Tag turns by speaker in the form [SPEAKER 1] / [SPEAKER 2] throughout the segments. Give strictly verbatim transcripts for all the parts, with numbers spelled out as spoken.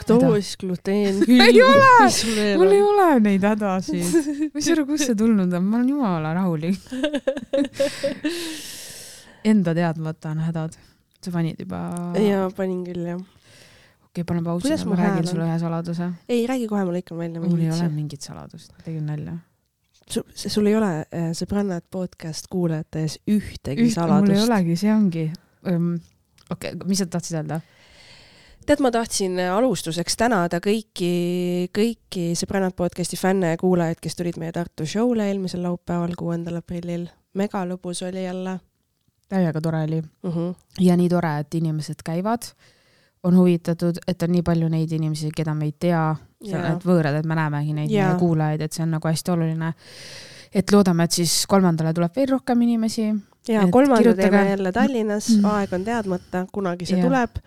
[SPEAKER 1] laktoos, gluteen,
[SPEAKER 2] külm. Ei ole, mul ei ole neid hädasid. Mis ära, kus see tulnud on? Ma olen jumala rahulik. Enda teadmata on hädad. Sa panid juba...
[SPEAKER 1] Jaa, panin küll, jah.
[SPEAKER 2] Okei, okay, panen pausi, ma räägin sulle ühe saladuse.
[SPEAKER 1] Ei, räägi kohe, ma lõikan välja.
[SPEAKER 2] Mul ei ole mingit saladust, tegin nalja.
[SPEAKER 1] Sul, sul ei ole äh, Sõbrannad podcast kuulajates ühtegi Üht, saladust?
[SPEAKER 2] Mul ei olegi, see ongi. Um, Okei, okay, mis sa tahtsid öelda?
[SPEAKER 1] Tead, ma tahtsin alustuseks tänada kõiki, kõiki Sõbrannad podcasti fänne ja kuulajaid, kes tulid meie Tartu showle eelmisel laupäeval kuuendal aprillil. Mega lõbus oli jälle.
[SPEAKER 2] Täiega tore oli.
[SPEAKER 1] Uh-huh.
[SPEAKER 2] Ja nii tore, et inimesed käivad, on huvitatud, et on nii palju neid inimesi, keda me ei tea, yeah. et võõrad, et me näemegi neid yeah. kuulajaid, et see on nagu hästi oluline. Et loodame, et siis kolmandale tuleb veel rohkem inimesi.
[SPEAKER 1] Ja kolmanda teeme jälle Tallinnas, mm. aeg on teadmata, kunagi see yeah. tuleb.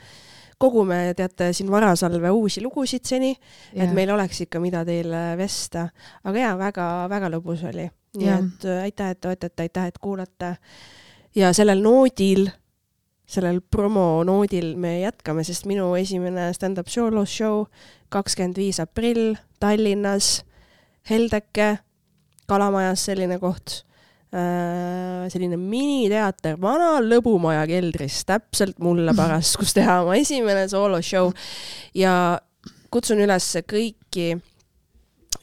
[SPEAKER 1] Kogume, teate, siin Varasalve uusi lugusid seni, yeah. et meil oleks ikka mida teile vesta. Aga jaa, väga, väga lõbus oli. Nii yeah. et aitäh, et toetate, aitäh, et kuulate. Ja sellel noodil, sellel promo noodil me jätkame, sest minu esimene stand-up solo show kakskümmend viis aprill Tallinnas, Heldeke, Kalamajas selline koht, äh, selline miniteater, vana lõbumaja keldris, täpselt mulle pärast, kus teha oma esimene solo show. Ja kutsun üles kõiki,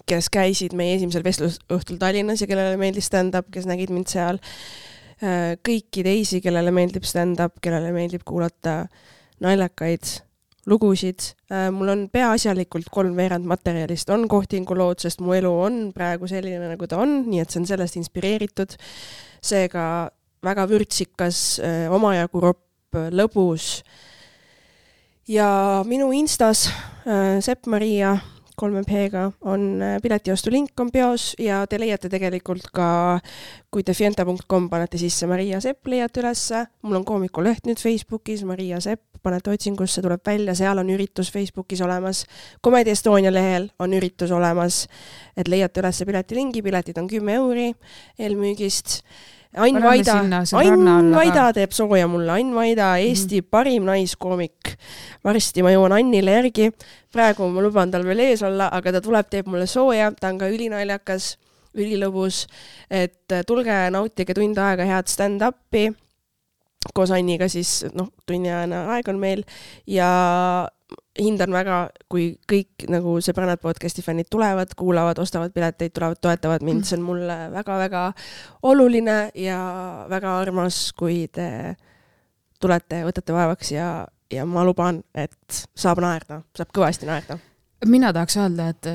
[SPEAKER 1] kes käisid meie esimesel vestlusõhtul Tallinnas ja kellele meeldis stand-up, kes nägid mind seal, kõiki teisi, kellele meeldib stand-up, kellele meeldib kuulata naljakaid lugusid. Mul on peaasjalikult kolm veerand materjalist on kohtingu lood, sest mu elu on praegu selline, nagu ta on, nii et see on sellest inspireeritud. Seega väga vürtsikas, omajagu ropp, lõbus. Ja minu Instas Sepp Maria kolme P-ga on piletiostu link on peos ja te leiate tegelikult ka, kui te fienta punkt com panete sisse Maria Sepp, leiate ülesse. Mul on koomikuleht nüüd Facebookis, Maria Sepp, panete otsingusse, tuleb välja, seal on üritus Facebookis olemas. Comedy Estonia lehel on üritus olemas, et leiate ülesse piletilingi, piletid on kümme euri eelmüügist. Ain Vaida, Ain Vaida teeb sooja mulle, Ain Vaida, Eesti mm-hmm. parim naiskoomik. Varsti ma jõuan Annile järgi, praegu ma luban tal veel ees olla, aga ta tuleb, teeb mulle sooja, ta on ka ülinaljakas, ülilõbus, et tulge nautige tund aega head stand-upi, koos Anniga siis, noh, tunniajana aeg on meil ja hindan väga, kui kõik nagu Sõbrannad podcasti fännid tulevad, kuulavad, ostavad pileteid, tulevad, toetavad mind. See on mulle väga-väga oluline ja väga armas, kui te tulete, võtate vaevaks ja, ja ma luban, et saab naerda, saab kõvasti naerda.
[SPEAKER 2] Mina tahaks öelda, et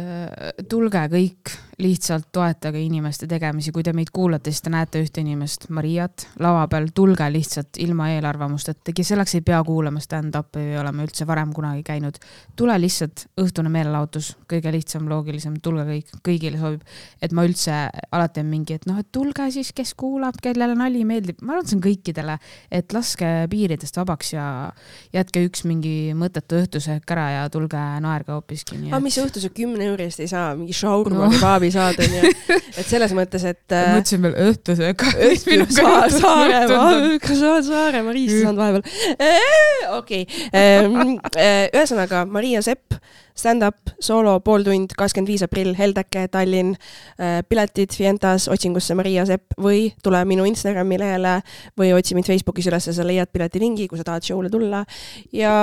[SPEAKER 2] tulge kõik, lihtsalt toetage inimeste tegemisi. Kui te meid kuulate, siis te näete ühte inimest, Mariat, lava peal, tulge lihtsalt ilma eelarvamust, et tegi selleks ei pea kuulama stand-upi või olema üldse varem kunagi käinud. Tule lihtsalt õhtune meelelautus, kõige lihtsam, loogilisem, tulge kõik, kõigile sobib. Et ma üldse alati on mingi, et noh, et tulge siis, kes kuulab, kellele nali meeldib. Ma arvan, see on kõikidele, et laske piiridest vabaks ja jätke üks mingi mõttetu õhtuse ära ja tulge naerga hoopiski.
[SPEAKER 1] Aga mis õhtuse kümne eurist ei saa, mingi šaurma no. kebaabi saada, ja. Et selles mõttes, et...
[SPEAKER 2] Ma mõtlesin veel õhtuse,
[SPEAKER 1] kas sa oled Saaremaa riista saanud vahepeal? Okei. Ühesõnaga, Maria Sepp, stand-up, solo, pool tund, kakskümmend viis aprill, Heldeke, Tallinn, piletid Fientas, otsingusse Maria Sepp või tule minu Instagrami lehele või otsi mind Facebookis üles, sa leiad pileti lingi, kui sa tahad showle tulla. Ja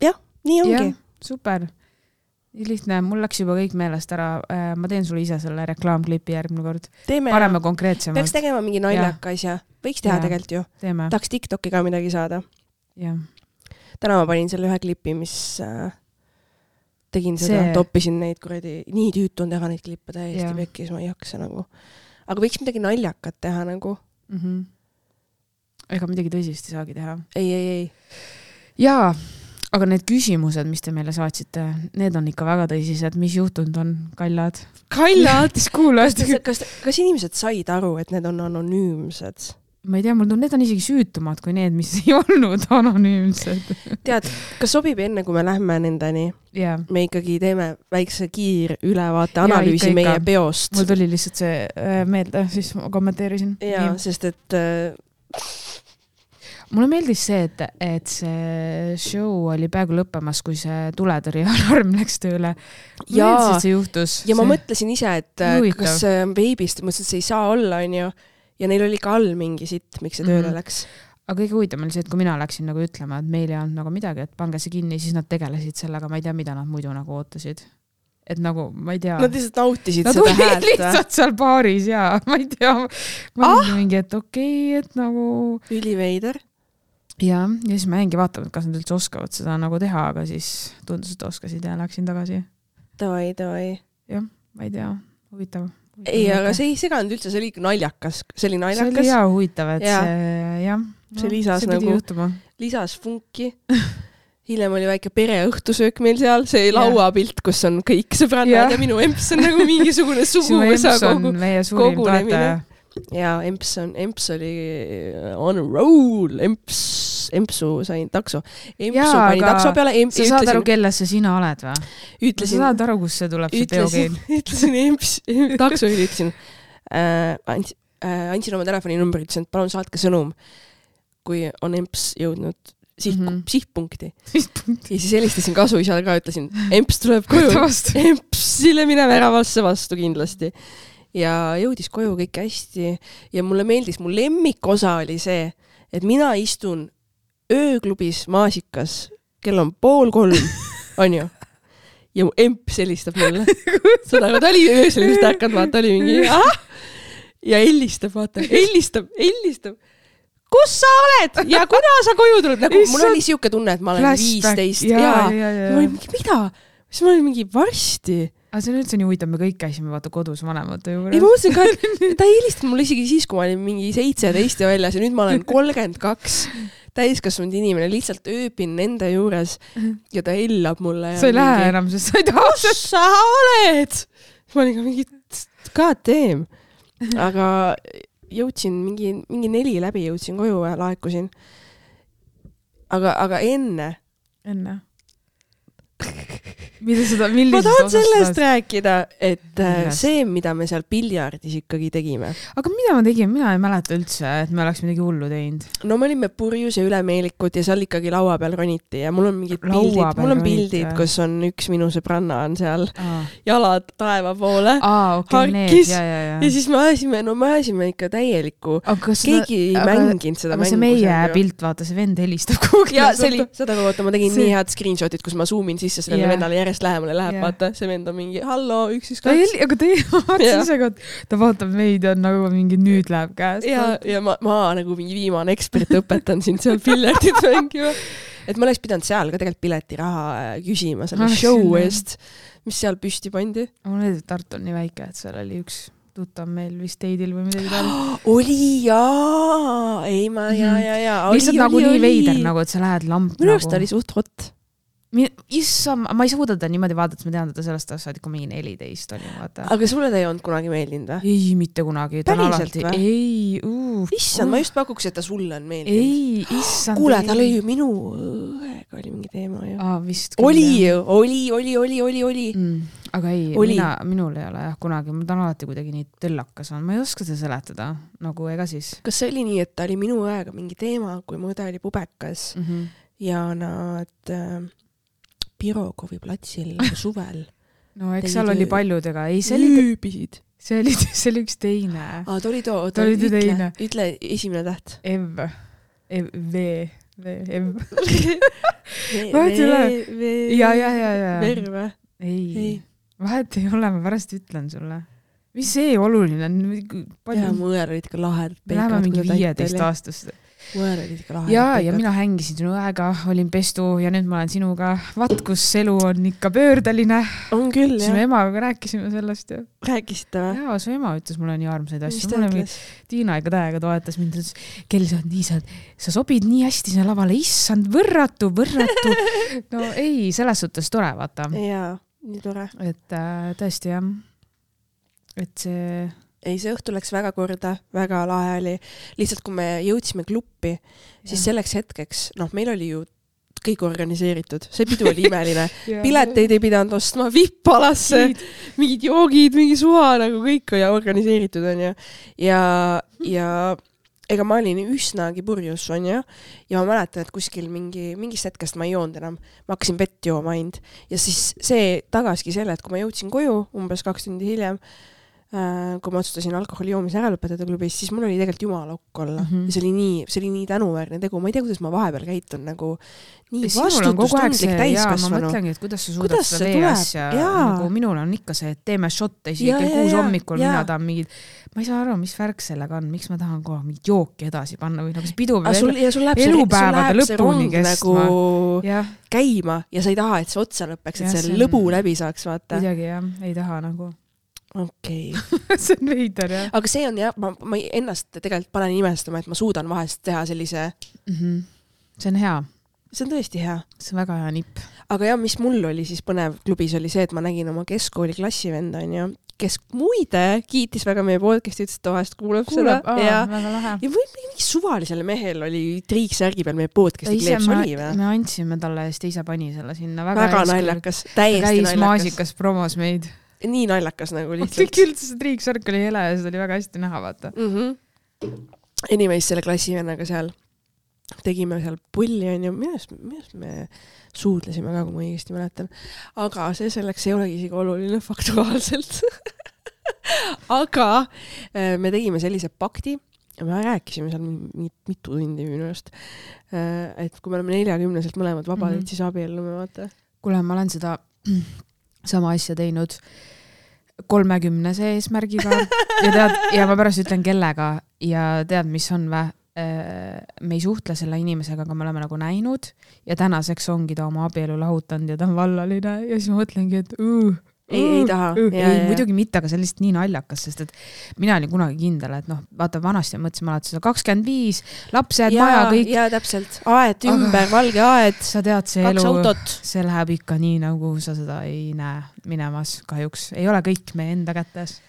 [SPEAKER 1] jah, nii ongi.
[SPEAKER 2] Ja, super. Lihtne, mul läks juba kõik meelest ära. Ma teen sulle ise selle reklaamklipi järgmine kord.
[SPEAKER 1] Teeme
[SPEAKER 2] Pareme konkreetsemalt.
[SPEAKER 1] Peaks tegema mingi naljaka asja. Võiks teha ja. Tegelikult ju.
[SPEAKER 2] Teeme.
[SPEAKER 1] Tahaks TikToki ka midagi saada.
[SPEAKER 2] Ja.
[SPEAKER 1] Täna ma panin selle ühe klipi, mis äh, tegin seda, See... toppisin neid kuradi, nii tüütu on teha neid klippe täiesti pekkis, ma ei jaksa nagu. Aga võiks midagi naljakat teha nagu.
[SPEAKER 2] Mm-hmm. Ega midagi tõsist ei saagi teha.
[SPEAKER 1] Ei, ei, ei.
[SPEAKER 2] Jaa. Aga need küsimused, mis te meile saatsite, need on ikka väga tõsised. Mis juhtunud on? Kallad?
[SPEAKER 1] Kallad?
[SPEAKER 2] Kas,
[SPEAKER 1] kas, kas inimesed said aru, et need on anonüümsed?
[SPEAKER 2] Ma ei tea, mul need on isegi süütumad kui need, mis ei olnud anonüümsed.
[SPEAKER 1] Tead, kas sobib enne, kui me lähme nendeni?
[SPEAKER 2] Yeah.
[SPEAKER 1] Me ikkagi teeme väikse kiir ülevaate analüüsi ja, meie peost.
[SPEAKER 2] Mul tuli lihtsalt see meelde, siis ma kommenteerisin.
[SPEAKER 1] Ja, ja. Sest et...
[SPEAKER 2] mulle meeldis see, et, et see show oli peaaegu lõppemas, kui see tuletõrjealarm läks tööle.
[SPEAKER 1] Ja,
[SPEAKER 2] see juhtus.
[SPEAKER 1] ja
[SPEAKER 2] see...
[SPEAKER 1] ma mõtlesin ise, et Huvitav. Kas see on veebist, mõtlesin, et see ei saa olla, on ju. Ja neil oli ka all mingi sitt, miks see tööle mm-hmm. läks.
[SPEAKER 2] Aga kõige huvitav oli see, et kui mina läksin nagu ütlema, et meil ei olnud nagu midagi, et pange see kinni, siis nad tegelesid sellega, ma ei tea, mida nad muidu nagu ootasid. Et nagu, ma ei tea.
[SPEAKER 1] Nad lihtsalt nautisid
[SPEAKER 2] nad
[SPEAKER 1] seda häält.
[SPEAKER 2] Nad olid lihtsalt seal baaris ja ma ei tea. Ma ah? mingi, et okei, okay, et nagu...
[SPEAKER 1] Üliveider.
[SPEAKER 2] Ja, ja siis ma jäingi vaatama, et kas nad üldse oskavad seda nagu teha, aga siis tundus, et oskasid ja läksin tagasi.
[SPEAKER 1] Davai, davai.
[SPEAKER 2] Jah, ma ei tea. Huvitav. huvitav
[SPEAKER 1] ei, aga see ei seganud üldse, see oli ikka naljakas. See oli naljakas.
[SPEAKER 2] See oli hea huvitav, et ja. see, jah.
[SPEAKER 1] See lisas see nagu, juhtuma. lisas funki. Hiljem oli väike pereõhtusöök meil seal, see lauapilt, kus on kõik sõbrannad ja, ja minu emps on nagu mingisugune suguvõsa kogu, kogunemine. Ja emps, on, emps oli on a roll, emps, empsu sain takso. Empsu ja, pani takso peale. Emp,
[SPEAKER 2] sa saad aru, kellesse sina oled või?
[SPEAKER 1] Ütlesin,
[SPEAKER 2] sa saad aru, kus see tuleb, see teogeen?
[SPEAKER 1] Ütlesin emps, takso ütlesin, äh, andsin, äh, andsin oma telefoninumbri, ütlesin, et palun saatke sõnum, kui on emps jõudnud Siht, mm-hmm. sihtpunkti. sihtpunkti. Ja siis helistasin kasuisale ka, ütlesin, emps tuleb koju. Empsile mine väravasse vastu kindlasti. Ja jõudis koju kõik hästi. Ja mulle meeldis, mu lemmikosa oli see, et mina istun ööklubis Maasikas, kell on pool kolm, on ju. Ja mu emps helistab mulle. Seda, ta oli öösel just ärkanud, vaata, oli mingi, ah! Ja helistab, vaata, helistab, helistab. Kus sa oled? Ja kuna sa koju tuled? Nagu, mul oli siuke tunne, et ma olen viisteist. Ja, ja, ja, ja. Ma olin mingi, mida? Siis ma olin mingi varsti.
[SPEAKER 2] Aga see on üldse nii huvitav, me kõik käisime vaata kodus vanemate juures.
[SPEAKER 1] Ei, ma mõtlesin ka, et ta ei helistanud mulle isegi siis, kui ma olin mingi seitseteist ja väljas ja nüüd ma olen kolmkümmend kaks. Täiskasvanud inimene, lihtsalt ööpin nende juures ja ta hellab mulle.
[SPEAKER 2] Sa ei mingi, lähe enam, sest sa ei taha.
[SPEAKER 1] Kus sa oled? Ma olin ka mingi, god damn. Aga... jõudsin mingi, mingi neli läbi, jõudsin koju ja laekusin. Aga, aga enne.
[SPEAKER 2] Enne. Mida seda, millisest
[SPEAKER 1] ma tahan sellest osast? Rääkida, et Millest? see, mida me seal piljardis ikkagi tegime.
[SPEAKER 2] Aga mida me tegime? Mina ei mäleta üldse, et me oleks midagi hullu teinud.
[SPEAKER 1] No me olime purjus ja ülemeelikud ja seal ikkagi laua peal roniti ja mul on mingid pildid, mul on pildid, roniti, kus on üks minu sõbranna on seal Aa. jalad taeva poole
[SPEAKER 2] Aa, okay,
[SPEAKER 1] harkis
[SPEAKER 2] ja, ja, ja.
[SPEAKER 1] ja siis me ajasime, no me ajasime ikka täielikku. Keegi ei aga, mänginud seda
[SPEAKER 2] aga
[SPEAKER 1] mängu.
[SPEAKER 2] Aga see meie pilt, vaata, see vend helistab kuhugi.
[SPEAKER 1] Ja see oli, seda võtta, ma tegin see... nii head screenshotit, kus ma zoomin sisse sellele yeah. vendale järjest lähemale läheb, yeah. vaata, see vend on mingi, hallo, üks, üks, kaks.
[SPEAKER 2] Aga te vaatasin ise, ta vaatab meid ja nagu mingi nüüd läheb käest.
[SPEAKER 1] Ja, ja ma, ma nagu mingi viimane ekspert õpetan sind seal piletit mängima. Et ma oleks pidanud seal ka tegelikult piletiraha küsima selle show eest, mis seal püsti pandi.
[SPEAKER 2] Mul oli Tartu on nii väike, et seal oli üks tuttav meil vist teidil või midagi tal.
[SPEAKER 1] Oli jaa, ei ma ja, ja, ja.
[SPEAKER 2] Lihtsalt nagu nii veider, nagu et sa lähed lamp.
[SPEAKER 1] Minu arust oli suht hot.
[SPEAKER 2] Issa, ma ei suuda ta niimoodi vaadata, ma tean, et ta sellest aastat ikka mingi neliteist oli. Vaata.
[SPEAKER 1] Aga sulle ta ei olnud kunagi meeldinud või?
[SPEAKER 2] Ei, mitte kunagi.
[SPEAKER 1] Päriselt või?
[SPEAKER 2] Ei, uuf.
[SPEAKER 1] Issand, ma just pakuks, et ta sulle on meeldinud.
[SPEAKER 2] Ei, issand.
[SPEAKER 1] Kuule, tal oli ju minu õega oli mingi teema ju.
[SPEAKER 2] Aa, vist.
[SPEAKER 1] Oli ju, oli, oli, oli, oli, oli.
[SPEAKER 2] Mm, aga ei, mina, minul ei ole jah kunagi. Ma ta on alati kuidagi nii tõllakas on. Ma ei oska seda seletada, nagu ega siis.
[SPEAKER 1] Kas see oli nii, et ta oli minu õega mingi teema, kui mu õde oli pubekas mm-hmm. ja nad... Pirogovi platsil suvel.
[SPEAKER 2] No eks seal oli paljudega. Ei, see
[SPEAKER 1] oli,
[SPEAKER 2] see oli, see oli üks teine.
[SPEAKER 1] Aa, ta oli too.
[SPEAKER 2] Ta oli
[SPEAKER 1] ütle,
[SPEAKER 2] teine.
[SPEAKER 1] Ütle esimene täht.
[SPEAKER 2] Ev. Ev. V. V. Ev.
[SPEAKER 1] Vahet
[SPEAKER 2] ei ole. Ja, ja, ja, ja.
[SPEAKER 1] Verve.
[SPEAKER 2] Ei. ei. Vahet ei ole, ma pärast ütlen sulle. Mis see oluline on?
[SPEAKER 1] Ja, mu õer olid ka lahedad.
[SPEAKER 2] Me läheme mingi viieteist aastast.
[SPEAKER 1] Mõer olid ikka lahedad.
[SPEAKER 2] Ja, ja mina hängisin sinu õega, olin pestu ja nüüd ma olen sinuga. Vaat, kus elu on ikka pöördeline.
[SPEAKER 1] On küll, jah.
[SPEAKER 2] Sinu emaga rääkisime sellest. Ja.
[SPEAKER 1] Rääkisite või?
[SPEAKER 2] Jaa, su ema ütles mulle nii armsaid asju. Tiina ikka täiega toetas mind. Kel sa on nii, sa, sa sobid nii hästi sinna lavale. Issand, võrratu, võrratu. No ei, selles suhtes tore, vaata.
[SPEAKER 1] Jaa, nii tore.
[SPEAKER 2] Et äh, tõesti, jah. Et see...
[SPEAKER 1] Ei, see õhtu läks väga korda, väga lahe oli. Lihtsalt, kui me jõudsime kluppi, siis selleks hetkeks, noh, meil oli ju kõik organiseeritud. See pidu oli imeline. Pileteid ei pidanud ostma, vippalasse, mingid joogid, mingi suha, nagu kõik oli organiseeritud, on ju. Ja, ja ega ma olin üsnagi purjus, on ju, ja ma mäletan, et kuskil mingi, mingist hetkest ma ei joonud enam, ma hakkasin vett jooma ainult. Ja siis see tagaski selle, et kui ma jõudsin koju umbes kaks tundi hiljem, kui ma otsustasin alkoholi joomise ära lõpetada klubis, siis mul oli tegelikult jumala ukk olla. Mm -hmm. Ja see oli nii, see oli nii tänuväärne tegu. Ma ei tea, kuidas ma vahepeal käitun nagu nii vastutustundlik täiskasvanu.
[SPEAKER 2] Ma mõtlengi, et kuidas sa suudad kuidas seda vee asja, nagu minul on ikka see, et teeme šotte isegi kell kuus hommikul, mina tahan mingid, ma ei saa aru, mis värk sellega on, miks ma tahan kohe mingid jooki edasi panna või nagu see pidu elupäevade lõpuni kestma.
[SPEAKER 1] Nagu käima ja sa ei taha, et see otsa lõpeks, et see lõbu läbi saaks, vaata.
[SPEAKER 2] Midagi jah, ei taha nagu.
[SPEAKER 1] Okei. Okay.
[SPEAKER 2] see on veider, jah.
[SPEAKER 1] Aga see on jah, ma, ma ennast tegelikult panen imestama, et ma suudan vahest teha sellise...
[SPEAKER 2] Mm-hmm. See on hea.
[SPEAKER 1] See on tõesti hea.
[SPEAKER 2] See on väga hea nipp.
[SPEAKER 1] Aga jah, mis mul oli siis põnev klubis oli see, et ma nägin oma keskkooli klassivenda, on ju, kes muide kiitis väga meie podcasti, ütles, et vahest kuulab, kuulab seda.
[SPEAKER 2] Aa,
[SPEAKER 1] ja,
[SPEAKER 2] väga lahe.
[SPEAKER 1] Ja või mingi suvalisele mehel oli triiksärgi peal meie podcasti kleeps oli või?
[SPEAKER 2] Me andsime talle ja siis teise pani selle sinna.
[SPEAKER 1] Väga, väga naljakas. Täiesti naljakas.
[SPEAKER 2] Käis maasikas promos meid.
[SPEAKER 1] Nii naljakas nagu lihtsalt.
[SPEAKER 2] Üldse see triiksärk oli hele ja seda oli väga hästi näha, vaata.
[SPEAKER 1] Mm-hmm. Anyways, selle klassivennaga seal tegime seal pulli, on ju, millest, millest me suudlesime ka, kui ma õigesti mäletan. Aga see selleks ei olegi isegi oluline faktuaalselt. Aga me tegime sellise pakti, me rääkisime seal mitu tundi minu just, et kui me oleme neljakümneselt mõlemad vabad, mm-hmm. et siis abiellume, vaata.
[SPEAKER 2] Kuule, ma olen seda sama asja teinud kolmekümnese eesmärgiga ja, tead, ja ma pärast ütlen kellega ja tead, mis on vä? Me ei suhtle selle inimesega, aga me oleme nagu näinud ja tänaseks ongi ta oma abielu lahutanud ja ta on vallaline ja siis ma mõtlengi, et uh,
[SPEAKER 1] ei, ei taha.
[SPEAKER 2] Uh, ja, ei, ja, muidugi mitte, aga see on lihtsalt nii naljakas, sest et mina olin kunagi kindel, et noh, vaata vanasti mõtlesin alati seda kakskümmend viis, lapsed, maja, kõik.
[SPEAKER 1] Ja täpselt, aed ümber, aga valge aed,
[SPEAKER 2] sa tead, see
[SPEAKER 1] kaks
[SPEAKER 2] elu,
[SPEAKER 1] autot.
[SPEAKER 2] See läheb ikka nii, nagu sa seda ei näe minemas kahjuks. Ei ole kõik meie enda kätes.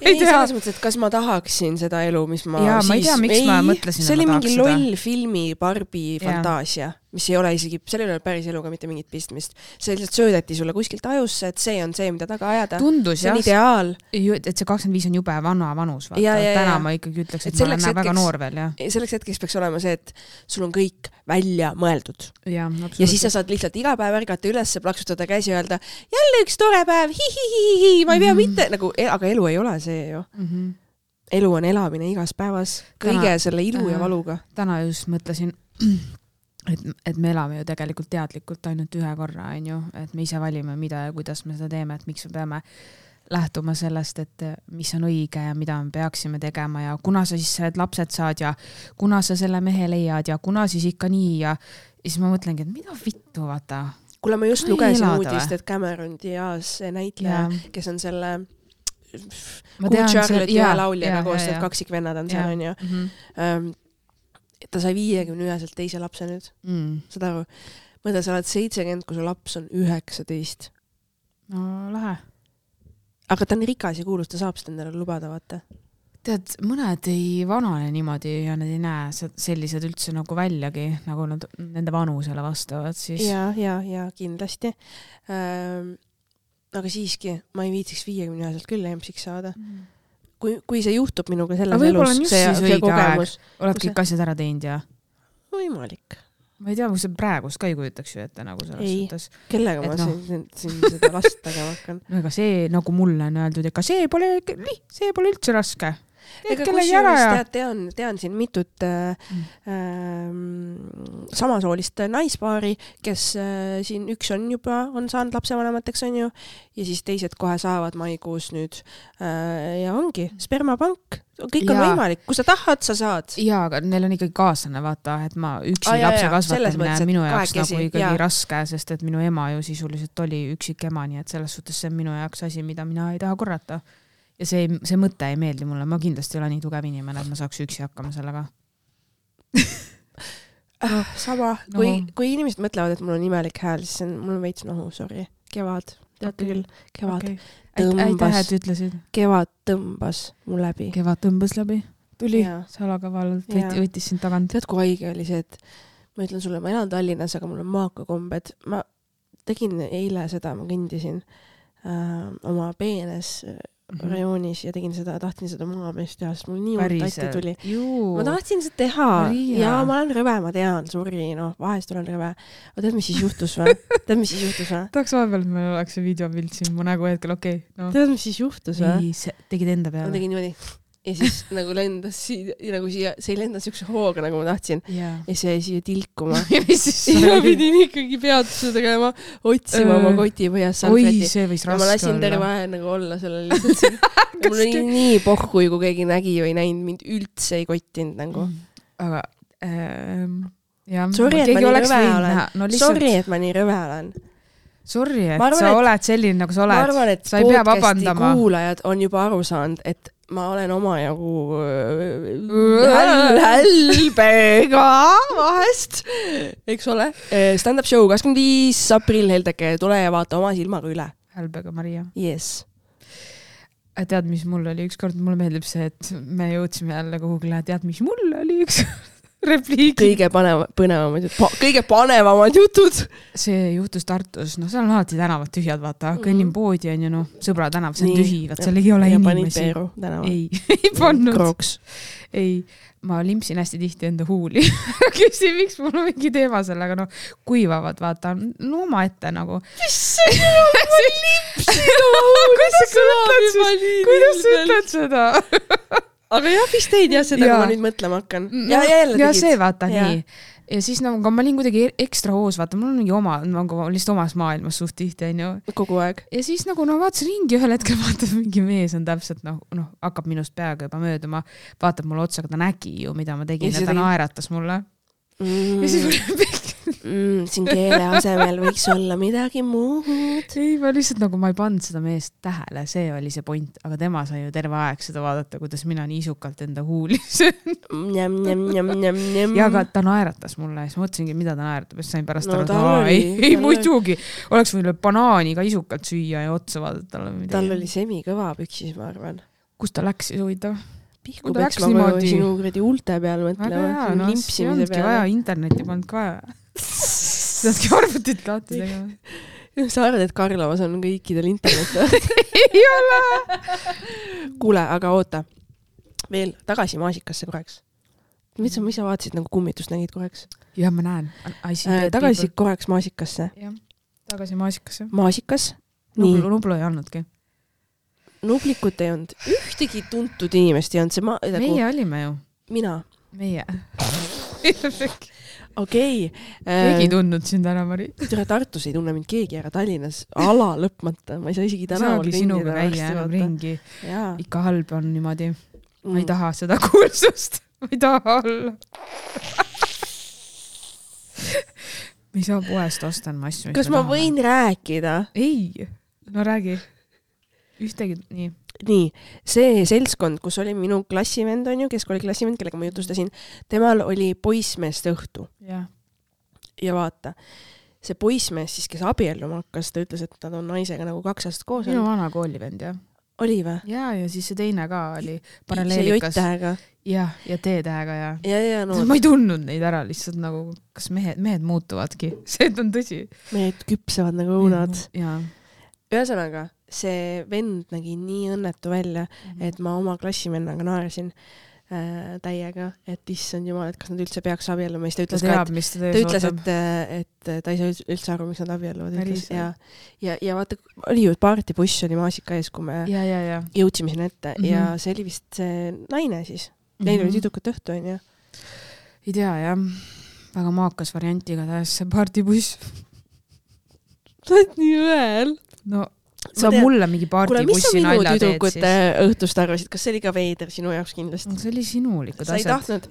[SPEAKER 1] Ei, selles mõttes, et kas ma tahaksin seda elu, mis ma
[SPEAKER 2] ja,
[SPEAKER 1] siis...
[SPEAKER 2] ma ei tea, miks
[SPEAKER 1] ei,
[SPEAKER 2] ma mõtlesin,
[SPEAKER 1] see oli mingi
[SPEAKER 2] seda.
[SPEAKER 1] loll filmi Barbie fantaasia, mis ei ole isegi, seal ei ole päris eluga mitte mingit pistmist. See lihtsalt söödeti sulle kuskilt ajusse, et see on see, mida taga ajada.
[SPEAKER 2] Tundus,
[SPEAKER 1] see on ideaal.
[SPEAKER 2] Et see kakskümmend viis on jube vana vanus. Ja, ja, Täna ja. Ma ikkagi ütleks, et, et ma olen hetkeks, väga noor veel. Ja.
[SPEAKER 1] Selleks hetkeks peaks olema see, et sul on kõik välja mõeldud.
[SPEAKER 2] Ja,
[SPEAKER 1] ja siis sa saad lihtsalt iga päev ärgata üles, plaksutada käsi ja öelda, jälle üks tore päev, hi-hi-hi-hi, ma ei pea mm-hmm. mitte, nagu, aga elu ei ole see ju. Mm-hmm. Elu on elamine igas päevas, kõige täna, selle ilu äh, ja valuga.
[SPEAKER 2] Täna just mõtlesin, et, et me elame ju tegelikult teadlikult ainult ühe korra, on ju, et me ise valime, mida ja kuidas me seda teeme, et miks me peame lähtuma sellest, et mis on õige ja mida me peaksime tegema ja kuna sa siis need lapsed saad ja kuna sa selle mehe leiad ja kuna siis ikka nii ja, ja siis ma mõtlengi, et mida vittu, vaata.
[SPEAKER 1] Kuule, ma just ma lugesin uudist, et Cameron Diaz näitleja, ja. Kes on selle Good Charlotte ja lauljaga koos, et kaksikvennad on seal, on ju. Mm-hmm. Ta sai viiekümne üheselt teise lapse nüüd. Mm. Seda aru? Mõtle, sa oled seitsekümmend, kui su laps on üheksateist.
[SPEAKER 2] No, lähe.
[SPEAKER 1] Aga ta on rikas ja kuulus, ta saab seda endale lubada, vaata.
[SPEAKER 2] Tead, mõned ei vanane niimoodi ja nad ei näe sellised üldse nagu väljagi, nagu nad nende vanusele vastavad. Siis.
[SPEAKER 1] Ja, ja, ja kindlasti. Ähm, aga siiski, ma ei viitsiks viiekümne üheselt küll emsiks saada. Mm. Kui, kui see juhtub minuga selles elus, see, see kogemus.
[SPEAKER 2] Oled kõik asjad ära teinud ja?
[SPEAKER 1] Võimalik.
[SPEAKER 2] Ma ei tea, kui see praegust ka ei kujutaks ju ette nagu selles
[SPEAKER 1] ei,
[SPEAKER 2] suhtes.
[SPEAKER 1] Kellega et ma no. siin, siin seda last tagama hakkan.
[SPEAKER 2] No ega see, nagu mulle on öeldud, ega see pole, see pole üldse raske.
[SPEAKER 1] Ega kusjuures tead, tean, tean siin mitut äh, äh, samasoolist naispaari, kes äh, siin üks on juba, on saanud lapsevanemateks, on ju, ja siis teised kohe saavad maikuus nüüd äh, ja ongi spermapank. Kõik on ja. Võimalik, kui sa tahad, sa saad.
[SPEAKER 2] Jaa, aga neil on ikkagi kaaslane, vaata, et ma üksi ah, lapse kasvatamine on minu jaoks kahekesi, nagu ikkagi jaa. Raske, sest et minu ema ju sisuliselt oli üksik ema, nii et selles suhtes see on minu jaoks asi, mida mina ei taha korrata. Ja see, see mõte ei meeldi mulle. Ma kindlasti ei ole nii tugev inimene, et ma saaks üksi hakkama sellega.
[SPEAKER 1] no, sama. No. Kui, kui inimesed mõtlevad, et mul on imelik hääl, siis on, mul on veits nohu, sorry. Kevad. Teate okay. küll. Kevad okay. tõmbas.
[SPEAKER 2] Aitäh, ütlesid.
[SPEAKER 1] Kevad tõmbas mul läbi.
[SPEAKER 2] Kevad tõmbas läbi. Tuli salakavalalt, võttis sind tagant.
[SPEAKER 1] Tead, kui haige oli see, et ma ütlen sulle, ma elan Tallinnas, aga mul on maakakombed. Ma tegin eile seda, ma kõndisin äh, oma peenes mm-hmm. rajoonis ja tegin seda, tahtsin seda maameest teha, sest mul nii hull tatti tuli.
[SPEAKER 2] Juu.
[SPEAKER 1] Ma tahtsin seda teha Maria. Ja ma olen rõve, ma tean, sorry, noh, vahest olen rõve. Aga tead, mis siis juhtus või? Tead, mis siis juhtus või?
[SPEAKER 2] Tahaks vahepeal, et meil oleks see videopilt siin mu nägu hetkel, okei. Okay, no.
[SPEAKER 1] Tead, mis siis juhtus või?
[SPEAKER 2] Ei, see tegid enda peale.
[SPEAKER 1] Ma tegin niimoodi. Ja siis nagu lendas siia, nagu siia, see ei lenda siukse hooga, nagu ma tahtsin. Yeah. Ja see jäi siia tilkuma. ja ma pidin ikkagi peatuse tegema, otsima uh, oma koti põhjas salveti.
[SPEAKER 2] Oi, see võis raske olla.
[SPEAKER 1] Ja ma lasin terve aeg nagu olla sellel lihtsalt siin. Ja mul oli nii pohhui, kui keegi nägi või näinud, mind üldse ei kottinud nagu.
[SPEAKER 2] Aga, ähm, jah.
[SPEAKER 1] Sorry, et ma nii rõve olen. No, lihtsalt... Sorry, et ma nii rõve olen.
[SPEAKER 2] Sorry, et arvan, sa et, oled selline, nagu sa oled.
[SPEAKER 1] Ma arvan, et
[SPEAKER 2] sa ei pea vabandama.
[SPEAKER 1] Kuulajad on juba aru saanud, et ma olen oma jagu hälbega vahest, eks ole. Stand-up show kakskümmend viis aprill Heldeke, tule ja vaata oma silmaga üle.
[SPEAKER 2] Hälbega, Maria.
[SPEAKER 1] Yes.
[SPEAKER 2] Tead, mis mul oli ükskord, mulle meeldib see, et me jõudsime jälle kuhugile, tead, mis mul oli üks repliik.
[SPEAKER 1] Kõige paneva, põnevamad jutud, pa, kõige panevamad jutud.
[SPEAKER 2] See juhtus Tartus, no seal on alati tänavad tühjad, vaata, kõnnin poodi on ju, noh, sõbra tänav, see on tühi, vaat seal ei ole
[SPEAKER 1] ja
[SPEAKER 2] inimesi.
[SPEAKER 1] Ja panid Peeru tänava.
[SPEAKER 2] Ei, ei pannud.
[SPEAKER 1] Kroks.
[SPEAKER 2] Ei, ma limpsin hästi tihti enda huuli. Küsin, miks mul on mingi teema sellega, no kuivavad, vaata, no oma ette nagu.
[SPEAKER 1] Mis see on, ma limpsin oma huuli?
[SPEAKER 2] Kuidas sa ütled seda?
[SPEAKER 1] Aga jah, vist teid jah seda, ja. Kui ma nüüd mõtlema hakkan. Ja, ja, jälle
[SPEAKER 2] ja see vaata ja. Nii. Ja siis nagu ma olin kuidagi ekstra hoos, vaata, mul on mingi oma, nagu lihtsalt omas maailmas suht tihti, on ju.
[SPEAKER 1] Kogu aeg.
[SPEAKER 2] Ja siis nagu no vaatasin ringi ühel hetkel, vaatab mingi mees on täpselt, noh, noh, hakkab minust peaga juba mööduma, vaatab mulle otsa, aga ta nägi ju, mida ma tegin ja, ja ta naeratas mulle. Mm. Ja siis mulle
[SPEAKER 1] mm, siin keele asemel võiks olla midagi muud.
[SPEAKER 2] Ei, ma lihtsalt nagu ma ei pannud seda meest tähele, see oli see point, aga tema sai ju terve aeg seda vaadata, kuidas mina nii isukalt enda huuli
[SPEAKER 1] njam, njam, njam, njam, njam.
[SPEAKER 2] Ja aga ta naeratas mulle ja siis mõtlesingi, mida ta naeratab, ja sain pärast no, aru, ei, ei muidugi, oleks võinud banaani ka isukalt süüa ja otsa vaadata talle.
[SPEAKER 1] Tal oli semi kõva püksis, ma arvan.
[SPEAKER 2] Kus ta läks siis huvitav?
[SPEAKER 1] Pihku peaks ma niimoodi... sinu kredi ulte peal mõtlema.
[SPEAKER 2] Aga jaa, no see ongi vaja, interneti polnud ka vaja. Saadki arvutit lahti tegema.
[SPEAKER 1] Sa arvad, et Karlovas on kõikidel internet?
[SPEAKER 2] Ei ole!
[SPEAKER 1] Kuule, aga oota. Veel tagasi maasikasse korraks. Mis sa, mis sa vaatasid, nagu kummitust nägid korraks?
[SPEAKER 2] Jah, ma näen.
[SPEAKER 1] Äh, tagasi people. Korraks maasikasse.
[SPEAKER 2] Jah, tagasi maasikasse.
[SPEAKER 1] Maasikas?
[SPEAKER 2] Nublu, nublu ei andnudki.
[SPEAKER 1] Nublikut ei olnud. Ühtegi tuntud inimest ei olnud. See ma,
[SPEAKER 2] nagu... Meie olime ju.
[SPEAKER 1] Mina.
[SPEAKER 2] Meie.
[SPEAKER 1] Okei.
[SPEAKER 2] Keegi tundnud sind ära, Mari.
[SPEAKER 1] Tere, Tartus ei tunne mind keegi ära, Tallinnas ala lõpmata. Ma ei saa isegi tänaval
[SPEAKER 2] ringi. Sinuga käia enam ringi. Jaa. Ikka halb on niimoodi. Ma mm. ei taha seda kuulsust. Ma ei taha olla. Me ei saa poest ostan ma asju.
[SPEAKER 1] Kas ma taha. Võin rääkida?
[SPEAKER 2] Ei. No räägi. Ühtegi, nii.
[SPEAKER 1] Nii, see seltskond, kus oli minu klassivend, on ju, keskooli klassivend, kellega ma jutustasin, temal oli poissmeeste õhtu.
[SPEAKER 2] Ja.
[SPEAKER 1] Ja vaata, see poissmees siis, kes abielluma hakkas, ta ütles, et ta on naisega nagu kaks aastat koos.
[SPEAKER 2] Minu vana koolivend, jah.
[SPEAKER 1] Oli või?
[SPEAKER 2] Ja, ja siis see teine ka oli paralleelikas.
[SPEAKER 1] See J-tähega.
[SPEAKER 2] Ja, ja T-tähega, ja.
[SPEAKER 1] Ja, ja, no.
[SPEAKER 2] Ma ei tundnud neid ära, lihtsalt nagu, kas mehed, mehed muutuvadki. See on tõsi.
[SPEAKER 1] Mehed küpsevad nagu õunad.
[SPEAKER 2] Ja.
[SPEAKER 1] Ühesõnaga, see vend nägi nii õnnetu välja, mm-hmm. et ma oma klassivennaga naersin äh, täiega, et issand jumal, et kas nad üldse peaks abielluma. Ta ütles,
[SPEAKER 2] ta teab,
[SPEAKER 1] ka, et, ta, ütles et, et ta ei saa üldse aru, miks nad abielluvad. Ja, ja, ja vaata, oli ju partibuss oli maasika ees, kui me
[SPEAKER 2] ja, ja, ja.
[SPEAKER 1] jõudsime sinna ette mm-hmm. ja see oli vist see naine siis. Neil mm-hmm. oli tüdrukat õhtu, on ju?
[SPEAKER 2] Ei tea, jah. Väga maakas variantiga tähes see partibuss.
[SPEAKER 1] Sa oled nii õel.
[SPEAKER 2] No, sa tean, mulle mingi partibussi nalja teed siis. Kuule, mis sa minu
[SPEAKER 1] tüdrukute õhtust arvasid? Kas see oli ka veider sinu jaoks kindlasti?
[SPEAKER 2] No, see oli sinulikud asjad.
[SPEAKER 1] Sa ei tahtnud,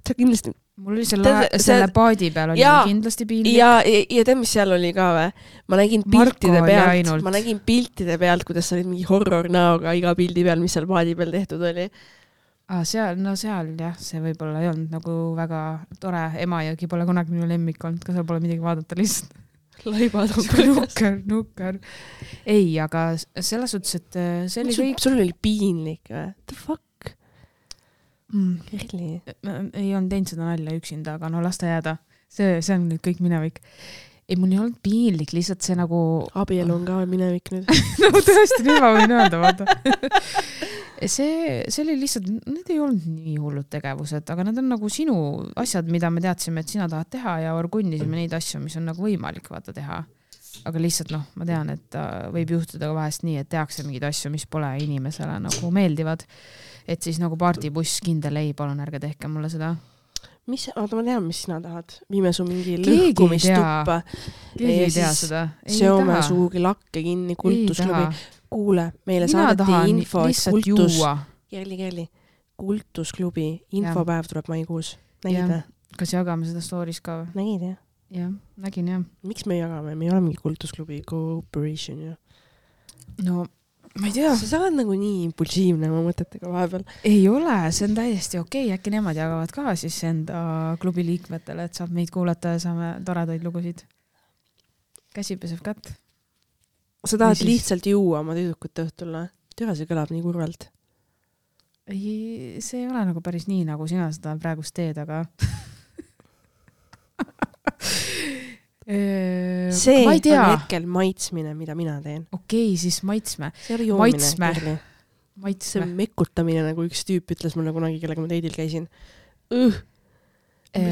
[SPEAKER 1] sa kindlasti...
[SPEAKER 2] Mul oli selle, Te, selle paadi peal oli ja, kindlasti piinlik.
[SPEAKER 1] Ja, ja, ja tead, mis seal oli ka või? Ma nägin piltide pealt, ma nägin piltide pealt, kuidas sa olid mingi horror näoga iga pildi peal, mis seal paadi peal tehtud oli.
[SPEAKER 2] Ah, seal, no seal jah, see võib-olla ei olnud nagu väga tore. Emajõgi pole kunagi minu lemmik olnud, ka seal pole midagi vaadata lihtsalt.
[SPEAKER 1] Laibad on
[SPEAKER 2] nukker, nukker. Ei, aga selles suhtes, et see oli
[SPEAKER 1] sul,
[SPEAKER 2] kõik...
[SPEAKER 1] Sul oli piinlik või? The fuck?
[SPEAKER 2] Mm.
[SPEAKER 1] Really?
[SPEAKER 2] Ei olnud teinud seda nalja üksinda, aga no las ta jääda. See, see on nüüd kõik minevik. ei, mul ei olnud piinlik, lihtsalt see nagu...
[SPEAKER 1] Abielu on ka minevik nüüd.
[SPEAKER 2] no tõesti, nüüd ma võin öelda, vaata. see, see oli lihtsalt, need ei olnud nii hullud tegevused, aga need on nagu sinu asjad, mida me teadsime, et sina tahad teha ja orgunnisime neid asju, mis on nagu võimalik vaata teha. Aga lihtsalt noh, ma tean, et võib juhtuda ka vahest nii, et tehakse mingeid asju, mis pole inimesele nagu meeldivad. Et siis nagu partibuss kindel ei, palun ärge tehke mulle seda.
[SPEAKER 1] Mis, oota, ma tean, mis sina tahad. Viime su mingi lõhkumistuppa.
[SPEAKER 2] Keegi ei tea seda.
[SPEAKER 1] Seome suugi lakke kinni, kultusklubi. Kuule, meile mina saadeti info, et kultus... Kerli, kerli. Kultusklubi infopäev tuleb maikuus. Nägid või?
[SPEAKER 2] Kas jagame seda stories ka või?
[SPEAKER 1] Nägid, jah?
[SPEAKER 2] Jah, nägin, jah.
[SPEAKER 1] Miks me jagame? Me ei ole mingi kultusklubi cooperation, jah.
[SPEAKER 2] No... ma ei tea.
[SPEAKER 1] Sa saad nagu nii impulsiivne oma mõtetega vahepeal.
[SPEAKER 2] Ei ole, see on täiesti okei. Äkki nemad jagavad ka siis enda klubi liikmetele, et saab meid kuulata ja saame toredaid lugusid. Käsi peseb kätt.
[SPEAKER 1] Sa tahad siis... lihtsalt juua oma tüdrukut õhtul, või? Türa, see kõlab nii kurvalt.
[SPEAKER 2] Ei, see ei ole nagu päris nii, nagu sina seda praegust teed, aga...
[SPEAKER 1] see on hetkel maitsmine, mida mina teen.
[SPEAKER 2] Okei, siis maitsme.
[SPEAKER 1] See oli joomine.
[SPEAKER 2] Maitsme. Maitsme.
[SPEAKER 1] See on mekutamine, nagu üks tüüp ütles mulle kunagi, kellega ma teidil käisin. Õh!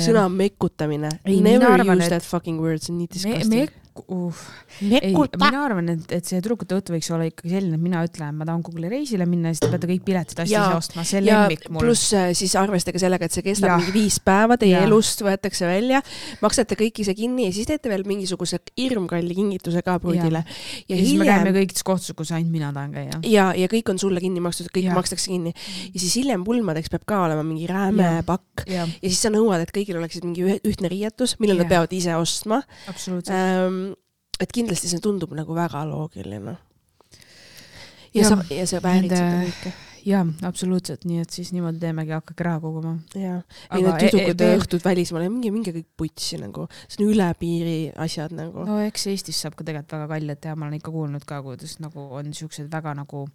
[SPEAKER 1] Sõna mekutamine. Ei, Never arvan, use et... that fucking word, see on nii disgusting. Me, me, uh. ei,
[SPEAKER 2] mina arvan, et, et see trükkute õhtu võiks olla ikkagi selline, et mina ütlen, ma tahan Google'i reisile minna ja siis te peate kõik piletid asja ise ostma. See lemmik mul.
[SPEAKER 1] Pluss siis arvestage sellega, et see kestab ja. mingi viis päeva, teie ja. elust võetakse välja, maksate kõik ise kinni ja siis teete veel mingisuguse hirmkalli kingituse ka pruudile. Ja,
[SPEAKER 2] ja, ja siis hiljem... me käime kõikides kohtus, kus ainult mina tahan käia.
[SPEAKER 1] Ja, ja kõik on sulle kinni makstud, kõik ja. makstakse kinni. Ja siis hiljem pulmadeks peab ka olema mingi rääme ja. pakk. Ja. ja siis sa nõuad, et kõigil oleksid mingi ühtne riietus, millel nad peavad ise ostma. Ähm, et kindlasti see tundub nagu väga loogiline. Ja, ja, sa, ja see väärib seda kõike.
[SPEAKER 2] Jaa, absoluutselt. Nii et siis niimoodi teemegi hakkagi raha koguma.
[SPEAKER 1] Jaa. Ei need tüdrukute e e õhtud välismaale, mingi, mingi kõik putsi nagu. See on üle piiri asjad nagu.
[SPEAKER 2] No eks Eestis saab ka tegelikult väga kallid teha. Ma olen ikka kuulnud ka, kuidas nagu on siuksed väga nagu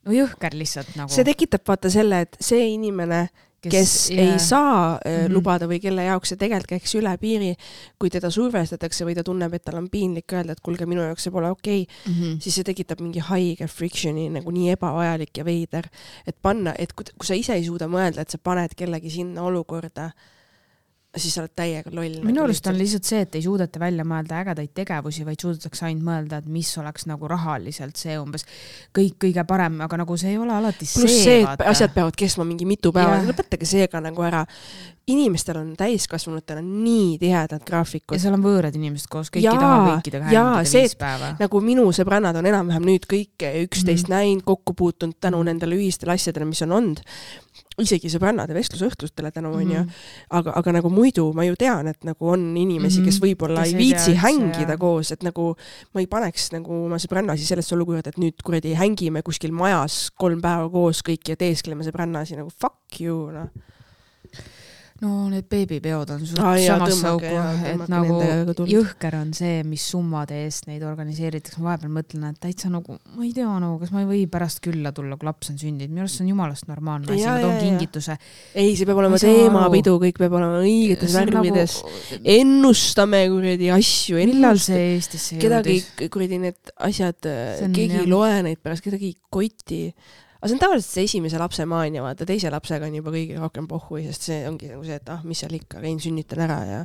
[SPEAKER 2] no jõhker lihtsalt nagu.
[SPEAKER 1] See tekitab vaata selle, et see inimene kes, kes yeah. ei saa mm-hmm. lubada või kelle jaoks see tegelikult käiks üle piiri, kui teda survestatakse või ta tunneb, et tal on piinlik öelda, et kulge, minu jaoks see pole okei, okay, mm-hmm. siis see tekitab mingi haige frictioni, nagu nii ebavajalik ja veider, et panna, et kui, kui sa ise ei suuda mõelda, et sa paned kellegi sinna olukorda, siis sa oled täiega loll.
[SPEAKER 2] Minu arust on lihtsalt see, et ei suudeta välja mõelda ägedaid tegevusi, vaid suudetakse ainult mõelda, et mis oleks nagu rahaliselt see umbes kõik kõige parem, aga nagu see ei ole alati
[SPEAKER 1] Plus see. Plus see, et asjad peavad kestma mingi mitu päeva, lõpetage seega nagu ära. Inimestel on täiskasvanutel on nii tihedad graafikud.
[SPEAKER 2] Ja seal on võõrad inimesed koos, kõik ei taha kõikidega hängida viis päeva.
[SPEAKER 1] Nagu minu sõbrannad on enam-vähem nüüd kõik üksteist mm-hmm. näinud, kokku puutunud tänu mm-hmm. nendele ühistele asjadele, mis on olnud. Isegi sõbrannade vestlusõhtustele tänu on mm-hmm. ju, aga, aga nagu muidu ma ju tean, et nagu on inimesi, mm-hmm. kes võib-olla kes ei viitsi tea, hängida ja. Koos, et nagu ma ei paneks nagu ma sõbrannasi sellest olukorda, et nüüd kuradi hängime kuskil majas kolm päeva koos kõik ja teeskleme sõbrannasi nagu fuck you, noh.
[SPEAKER 2] No need beebipeod on suht ah, samas sauku, et nagu jõhker on see, mis summade eest neid organiseeritakse. Ma vahepeal mõtlen, et täitsa nagu, ma ei tea, nagu, kas ma ei või pärast külla tulla, kui laps on sündinud. Minu arust on jumalast normaalne asi, ma toon kingituse.
[SPEAKER 1] Ei, see peab olema teemapidu, kõik peab olema õigetes värvides. Nagu... Ennustame kuradi asju.
[SPEAKER 2] Millal see Eestis see
[SPEAKER 1] kedagi kuradi need asjad, keegi ei loe neid pärast, kedagi koti. Aga see on tavaliselt see esimese lapse maania, vaata teise lapsega on juba kõige rohkem pohhui, sest see ongi nagu see, et ah, mis seal ikka, käin sünnitan ära ja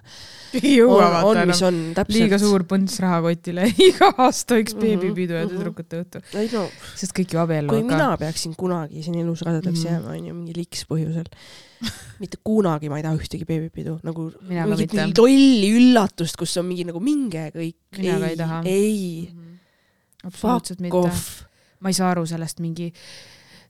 [SPEAKER 2] jõua,
[SPEAKER 1] on, on, mis on täpselt.
[SPEAKER 2] Liiga suur põnts rahakotile, iga aasta üks beebipidu ja tüdrukute õhtu.
[SPEAKER 1] No,
[SPEAKER 2] sest kõik ju abiellu.
[SPEAKER 1] Kui mina peaksin kunagi siin elus rasedaks mm-hmm. jääma, on ju mingi liks põhjusel. Mitte kunagi ma ei taha ühtegi beebipidu. Nagu mingit mingi tolli üllatust, kus on mingi nagu minge kõik.
[SPEAKER 2] Mina ei, ka ei taha.
[SPEAKER 1] Ei.
[SPEAKER 2] Mm-hmm. Absoluutselt mitte.
[SPEAKER 1] Off.
[SPEAKER 2] Ma ei saa aru sellest mingi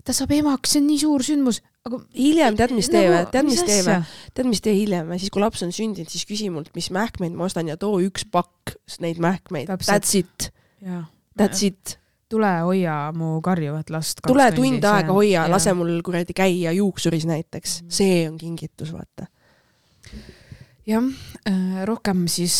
[SPEAKER 2] ta saab emaks, see on nii suur sündmus. Aga
[SPEAKER 1] hiljem tead, mis teeme, tead, mis teeme, tead, mis tee hiljem. Siis, kui laps on sündinud, siis küsi mult, mis mähkmeid ma ostan ja too üks pakk neid mähkmeid. That's it.
[SPEAKER 2] Ja.
[SPEAKER 1] That's it.
[SPEAKER 2] Tule hoia mu karjuvat last.
[SPEAKER 1] Tule tund aega hoia, ja. Lase mul kuradi käia juuksuris näiteks. Mm. See on kingitus, vaata.
[SPEAKER 2] Jah, rohkem siis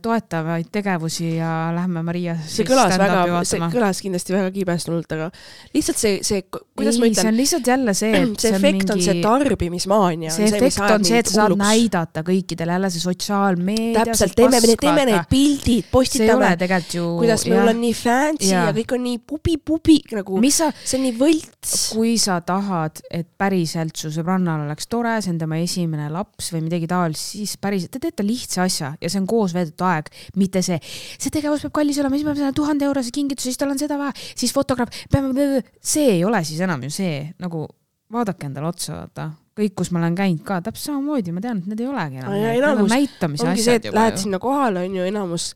[SPEAKER 2] toetavaid tegevusi ja lähme Maria
[SPEAKER 1] see kõlas, väga, see kõlas kindlasti väga kiibestunult, aga lihtsalt see, see kuidas
[SPEAKER 2] ei,
[SPEAKER 1] ma ütlen?
[SPEAKER 2] See on lihtsalt jälle see, et
[SPEAKER 1] see efekt on, mingi... on see tarbimismaania.
[SPEAKER 2] See efekt on see, et sa saad näidata kõikidele jälle see sotsiaalmeedia.
[SPEAKER 1] Täpselt, teeme, teeme need pildid, postitame.
[SPEAKER 2] Ju...
[SPEAKER 1] kuidas meil ja. on nii fancy ja. ja kõik on nii pubi-pubi, nagu sa... see on nii võlts.
[SPEAKER 2] Kui sa tahad, et päriselt su sõbrannal oleks tore, see on tema esimene laps või midagi taolist, siis päriselt, te teete lihtsa asja ja see on koos veedetud aeg, mitte see, see tegevus peab kallis olema, siis ma pean tuhande eurose kingitus, siis tal on seda vaja, siis fotograaf, peame, see ei ole siis enam ju see, nagu vaadake endale otsa, vaata. Kõik, kus ma olen käinud ka, täpselt samamoodi, ma tean, et need ei olegi enam.
[SPEAKER 1] Ja enamus,
[SPEAKER 2] näitamise
[SPEAKER 1] ongi see, et lähed sinna kohale, on ju enamus,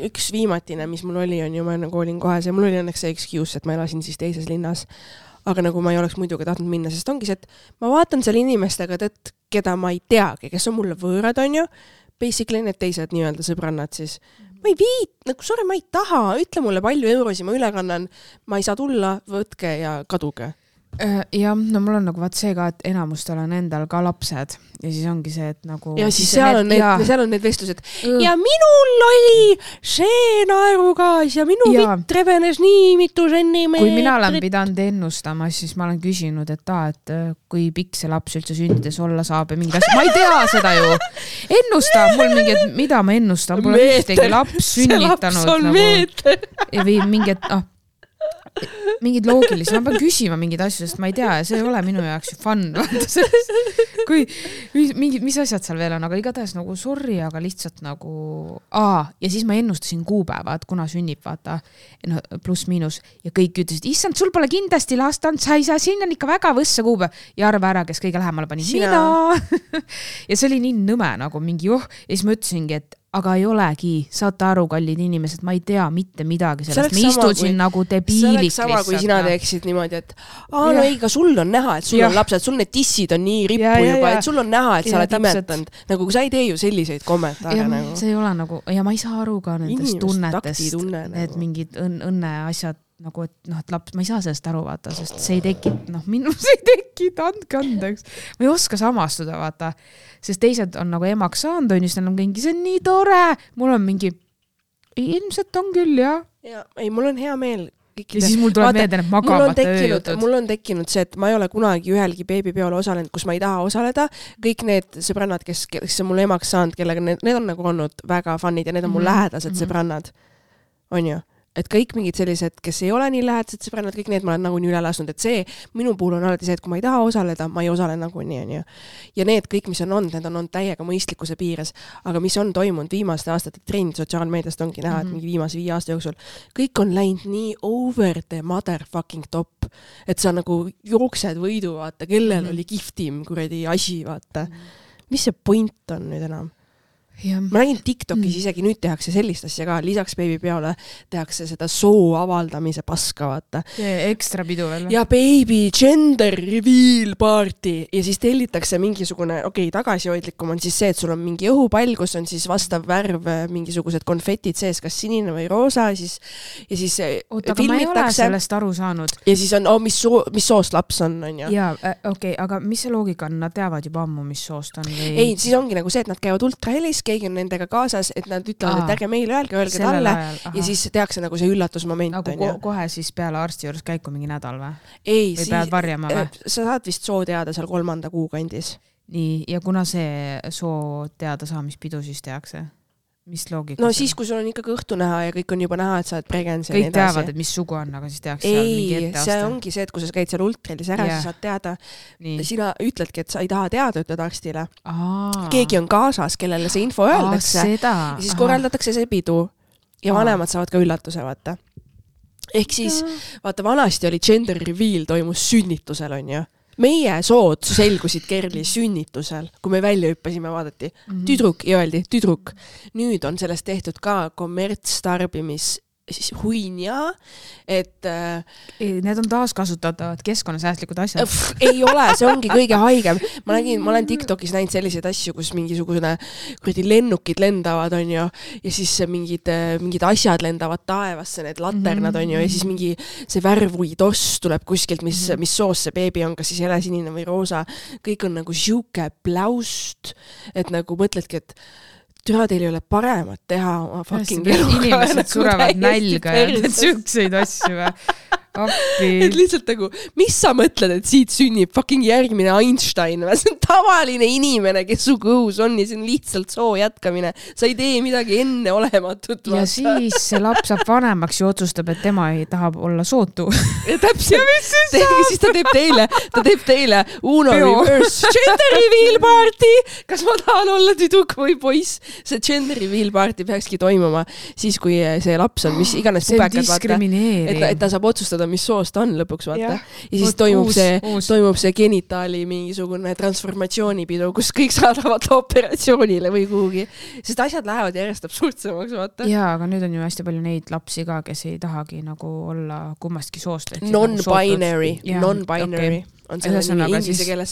[SPEAKER 1] üks viimatine, mis mul oli, on ju, ma nagu olin kohas ja mul oli õnneks see excuse, et ma elasin siis teises linnas. Aga nagu ma ei oleks muidugi tahtnud minna, sest ongi see, et ma vaatan seal inimestega, et keda ma ei teagi, kes on mulle võõrad, on ju, basically need teised nii-öelda sõbrannad siis. Ma ei viit, nagu sorry, ma ei taha, ütle mulle palju eurosi, ma üle kannan, ma ei saa tulla, võtke ja kaduge.
[SPEAKER 2] Ja no mul on nagu vaat see ka, et enamustel on endal ka lapsed ja siis ongi see, et nagu
[SPEAKER 1] ja siis seal on need, ja... seal on need vestlused uh. ja minul oli see naerugaas ja minu ja. Vitt revenes nii mitu sentimeetrit.
[SPEAKER 2] Kui mina olen pidanud ennustama, siis ma olen küsinud, et ta, et kui pikk see laps üldse sündides olla saab ja mingi asja, ma ei tea seda ju ennusta, mul mingi, et mida ma ennustan, mul on ühtegi laps sünnitanud
[SPEAKER 1] see laps on nagu, meeter
[SPEAKER 2] või mingi, et noh mingid loogilised, ma pean küsima mingid asju, sest ma ei tea ja see ei ole minu jaoks ju fun kui mingid, mis asjad seal veel on, aga igatahes nagu sorry, aga lihtsalt nagu aa, ja siis ma ennustasin kuupäeva, et kuna sünnib, vaata no, pluss miinus ja kõik ütlesid, issand, sul pole kindlasti lastanud, sa ei saa, siin on ikka väga võssa kuupäev ja arva ära, kes kõige lähemale pani mina ja see oli nii nõme nagu mingi oh, ja siis ma ütlesingi, et aga ei olegi, saate aru, kallid inimesed, ma ei tea mitte midagi sellest, ma istusin kui, nagu debiiliks. See oleks
[SPEAKER 1] sama, kui sina teeksid niimoodi, et aa, no ei, ka sul on näha, et sul ja. On lapsed, sul need tissid on nii rippu ja, juba, ja, et sul on näha, et sa ja, oled imetanud. Nagu sa ei tee ju selliseid kommentaare.
[SPEAKER 2] Ja,
[SPEAKER 1] nagu.
[SPEAKER 2] See ei ole nagu, ja ma ei saa aru ka nendest tunnetest,
[SPEAKER 1] tunne,
[SPEAKER 2] need nagu. Mingid õn, õnne asjad, nagu, et noh, et laps, ma ei saa sellest aru, vaata, sest see ei teki, noh, minus ei teki, andke andeks. Ma ei oska samastuda, vaata, sest teised on nagu emaks saanud, on just on mingi, see on nii tore, mul on mingi, ilmselt on küll, jah.
[SPEAKER 1] Ja, ei, mul on hea meel.
[SPEAKER 2] Kõikide. Ja siis mul tuleb meelde need magamata ööjutud.
[SPEAKER 1] Mul on tekkinud see, et ma ei ole kunagi ühelgi beebipeole osalenud, kus ma ei taha osaleda. Kõik need sõbrannad, kes, kes on mul emaks saanud, kellega need, need on nagu olnud väga funnid ja need on mul mm-hmm. lähedased sõbrannad. On ju? Et kõik mingid sellised, kes ei ole nii lähedased sõbrannad, kõik need ma olen nagu nii üle lasnud, et see minu puhul on alati see, et kui ma ei taha osaleda, ma ei osale nagu nii, on ju. Ja need kõik, mis on olnud, need on olnud täiega mõistlikkuse piires, aga mis on toimunud viimaste aastate trend sotsiaalmeediast ongi näha, et mingi viimase viie aasta jooksul kõik on läinud nii over the motherfucking top, et sa nagu jooksed võidu, vaata, kellel oli kihvtim kuradi asi, vaata. Mis see point on nüüd enam? Ja. Ma nägin TikTokis mm. isegi nüüd tehakse sellist asja ka, lisaks beebipeole tehakse seda soo avaldamise paska, vaata.
[SPEAKER 2] Ja ekstra pidu veel.
[SPEAKER 1] Ja baby gender reveal party ja siis tellitakse mingisugune, okei, okay, tagasihoidlikum on siis see, et sul on mingi õhupall, kus on siis vastav värv, mingisugused konfetid sees, kas sinine või roosa, siis, ja siis
[SPEAKER 2] Oot, aga ma ei ole sellest aru saanud.
[SPEAKER 1] Ja siis on, oh, mis, soo, mis soost laps on, on ju.
[SPEAKER 2] Jaa, okei, okay, aga mis see loogika on? Nad teavad juba ammu, mis soost on? Või...
[SPEAKER 1] Ei, siis ongi nagu see, et nad käivad ultrahelis, keegi on nendega kaasas, et nad ütlevad, Aa, et ärge meile öelge, öelge talle ja siis tehakse nagu see üllatusmoment.
[SPEAKER 2] Nagu ko- kohe siis peale arsti juures käiku mingi nädal või?
[SPEAKER 1] Ei,
[SPEAKER 2] või pead varjama või?
[SPEAKER 1] Sa saad vist soo teada seal kolmanda kuu kandis.
[SPEAKER 2] Nii, ja kuna see soo teada saamispidu siis tehakse? Mis loogika?
[SPEAKER 1] No siis, kui sul on ikkagi õhtu näha ja kõik on juba näha, et sa oled pregens.
[SPEAKER 2] Kõik teavad, et mis sugu on, aga siis tehakse seal mingi etteaste.
[SPEAKER 1] Ei, see ongi see, et kui sa käid seal ultralis ära, yeah. Sa saad teada. Nii. Sina ütledki, et sa ei taha teada, ütled arstile.
[SPEAKER 2] Aa.
[SPEAKER 1] Keegi on kaasas, kellele see info öeldakse. Ja siis Aha. korraldatakse see pidu. Ja Aa. vanemad saavad ka üllatuse, vaata. Ehk siis, vaata, vanasti oli gender reveal toimus sünnitusel, on ju. Meie sood selgusid Kerli sünnitusel, kui me välja hüppasime, vaadati mm-hmm. tüdruk ja öeldi tüdruk. Nüüd on sellest tehtud ka kommertstarbimis huinja, et
[SPEAKER 2] ei, need on taaskasutatavad keskkonnasäästlikud asjad.
[SPEAKER 1] Pff, ei ole, see ongi kõige haigem. Ma nägin, ma olen TikTokis näinud selliseid asju, kus mingisugune kuradi lennukid lendavad, on ju, ja siis mingid, mingid asjad lendavad taevasse, need laternad, on ju, ja siis mingi see värvui toss tuleb kuskilt, mis, mis soos see beebi on, kas siis helesinine või roosa. Kõik on nagu siuke pläust, et nagu mõtledki, et türa teil ei ole paremat teha oma fucking eluga.
[SPEAKER 2] Inimesed surevad nälga ja need sükseid asju.
[SPEAKER 1] et lihtsalt nagu, mis sa mõtled, et siit sünnib fucking järgmine Einstein? See on tavaline inimene, kes su kõhus on ja see on lihtsalt soo jätkamine. Sa ei tee midagi enne olematut.
[SPEAKER 2] Ja siis see laps saab vanemaks ja otsustab, et tema ei taha olla sootu.
[SPEAKER 1] Ja täpselt. Ja siis, siis ta teeb teile, ta teeb teile Uno Peo. Reverse gender reveal party. Kas ma tahan olla tüdruk või poiss? See gender reveal party peakski toimuma siis, kui see laps on, mis iganes pubekad, vaata. Et, et ta saab otsustada, mis soost on lõpuks, vaata. Ja, ja siis toimub uus, see, uus. toimub see genitaali mingisugune transformatsioonipidu, kus kõik saadavad operatsioonile või kuhugi. Sest asjad lähevad järjest absurdsemaks, vaata.
[SPEAKER 2] Jaa, aga nüüd on ju hästi palju neid lapsi ka, kes ei tahagi nagu olla kummastki soost.
[SPEAKER 1] Non-binary, nagu non-binary. Okay. On selle nimi inglise keeles.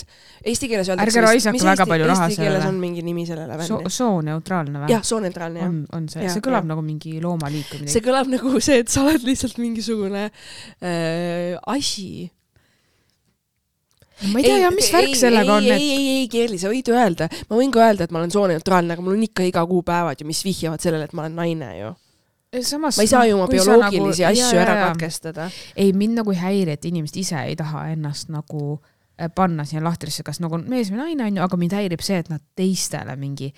[SPEAKER 1] Eesti keeles öeldakse,
[SPEAKER 2] ärge raisake väga palju raha
[SPEAKER 1] sellele. Eesti keeles on mingi nimi sellele vänne.
[SPEAKER 2] So, sooneutraalne või?
[SPEAKER 1] Jah, sooneutraalne, jah.
[SPEAKER 2] On, on see. Ja, see kõlab ja. Nagu mingi loomaliik.
[SPEAKER 1] See kõlab nagu see, et sa oled lihtsalt mingisugune äh, asi.
[SPEAKER 2] Ma ei tea, ei, ja mis värk ei, sellega on?
[SPEAKER 1] Ei, et... ei, ei, ei, Kerli, sa võid öelda. Ma võin ka öelda, et ma olen sooneutraalne, aga mul on ikka iga kuu päevad, ju, mis vihjavad sellele, et ma olen naine ju. Samas, ma ei saa ju oma bioloogilisi nagu, asju ja, ära ja, katkestada.
[SPEAKER 2] Ei, mind nagu ei häiri, et inimesed ise ei taha ennast nagu panna siia lahtrisse, kas nagu mees või naine on ju, aga mind häirib see, et nad teistele mingi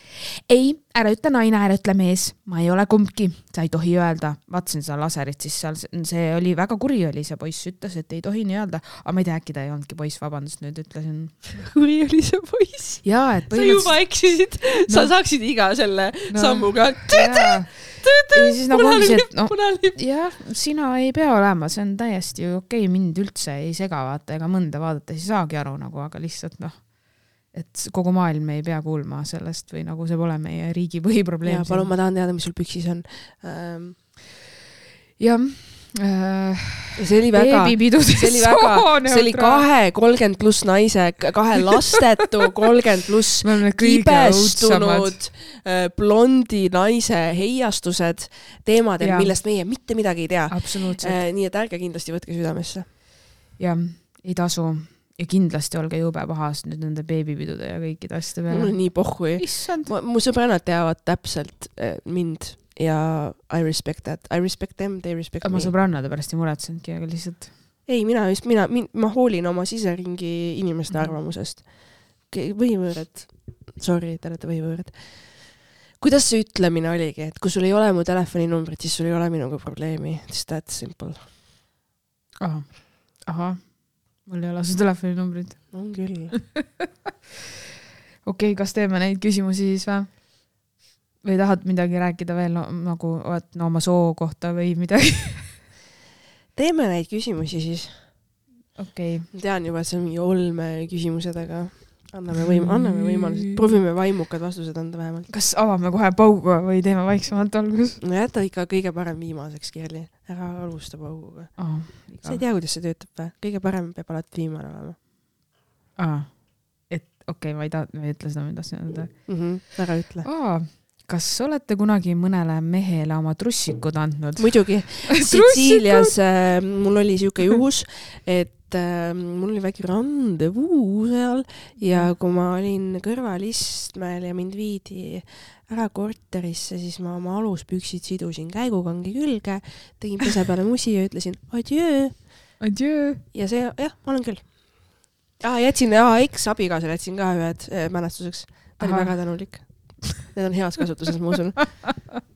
[SPEAKER 2] ei, ära ütle naine, ära ütle mees, ma ei ole kumbki, sa ei tohi öelda. Vaatasin seda laserit, siis seal see oli väga kuri oli, see poiss ütles, et ei tohi nii öelda, aga ma ei tea, äkki ta ei olnudki poiss, vabandust, nüüd ütlesin.
[SPEAKER 1] Kuri oli see poiss?
[SPEAKER 2] Jaa, et
[SPEAKER 1] põhimõtteliselt... Sa juba eksisid, no. Sa saaksid iga selle no. Sammuga.
[SPEAKER 2] Ja siis nagu ongi see, et no, jah, sina ei pea olema, see on täiesti okei, mind üldse ei sega vaata ega mõnda vaadata, siis saagi aru nagu, aga lihtsalt noh, et kogu maailm ei pea kuulma sellest või nagu see pole meie riigi põhiprobleem.
[SPEAKER 1] Ja palun, ma tahan teada, mis sul püksis on. Ähm...
[SPEAKER 2] jah. Äh,
[SPEAKER 1] see oli väga, see oli väga, see oli kahe kolmkümmend pluss naise, kahe lastetu kolmkümmend pluss kibestunud blondi naise heiastused teemadel, ja. Millest meie mitte midagi ei tea.
[SPEAKER 2] Absoluutselt.
[SPEAKER 1] Nii et ärge kindlasti võtke südamesse.
[SPEAKER 2] Ja, ei tasu. Ja kindlasti olge jube pahas nüüd nende beebipidude ja kõikide asjade peale.
[SPEAKER 1] Mul on nii pohhui. Mu sõbrannad teavad täpselt mind. Ja I respect that. I respect them, they respect
[SPEAKER 2] me. Ma sõbrannade pärast ei muretsenudki, aga lihtsalt...
[SPEAKER 1] Ei, mina just, mina, min, ma hoolin oma siseringi inimeste mm-hmm. arvamusest. Võivõõrad. Sorry, te olete võivõõrad. Kuidas see ütlemine oligi, et kui sul ei ole mu telefoninumbrit, siis sul ei ole minuga probleemi. It's that simple.
[SPEAKER 2] Aha. Aha. Mul ei ole su telefoninumbrit.
[SPEAKER 1] On küll.
[SPEAKER 2] Okei, kas teeme neid küsimusi siis või? Või tahad midagi rääkida veel no, nagu et, no, oma soo kohta või midagi?
[SPEAKER 1] Teeme neid küsimusi siis.
[SPEAKER 2] Okei.
[SPEAKER 1] Okay. Tean juba, et see on mingi olme küsimused, aga anname, võim- anname võimalused. Proovime vaimukad vastused anda vähemalt.
[SPEAKER 2] Kas avame kohe pauguga või teeme vaiksemalt algus?
[SPEAKER 1] No jäta ikka kõige parem viimaseks, Kerli. Ära alusta pauguga.
[SPEAKER 2] Oh,
[SPEAKER 1] sa ei tea, kuidas see töötab või? Kõige parem peab alati viimane olema.
[SPEAKER 2] Aa, et okei, okay, ma ei taha, ma ei ütle seda, mida sa öelda.
[SPEAKER 1] Mm-hmm, ära ütle.
[SPEAKER 2] Aa, kas olete kunagi mõnele mehele oma trussikud andnud?
[SPEAKER 1] Muidugi. Sitsiilias äh, mul oli siuke juhus, et äh, mul oli väike randevuu seal ja kui ma olin kõrvalistmel ja mind viidi ära korterisse, siis ma oma aluspüksid sidusin käigukangi külge, tegin pese peale musi ja ütlesin adjöö.
[SPEAKER 2] Adjöö.
[SPEAKER 1] Ja see, jah, ma olen küll. Ah, jätsin, ah, eks-abigaasel jätsin ka ühed äh, mälestuseks. Ta oli väga tänulik. Need on heas kasutuses, ma usun.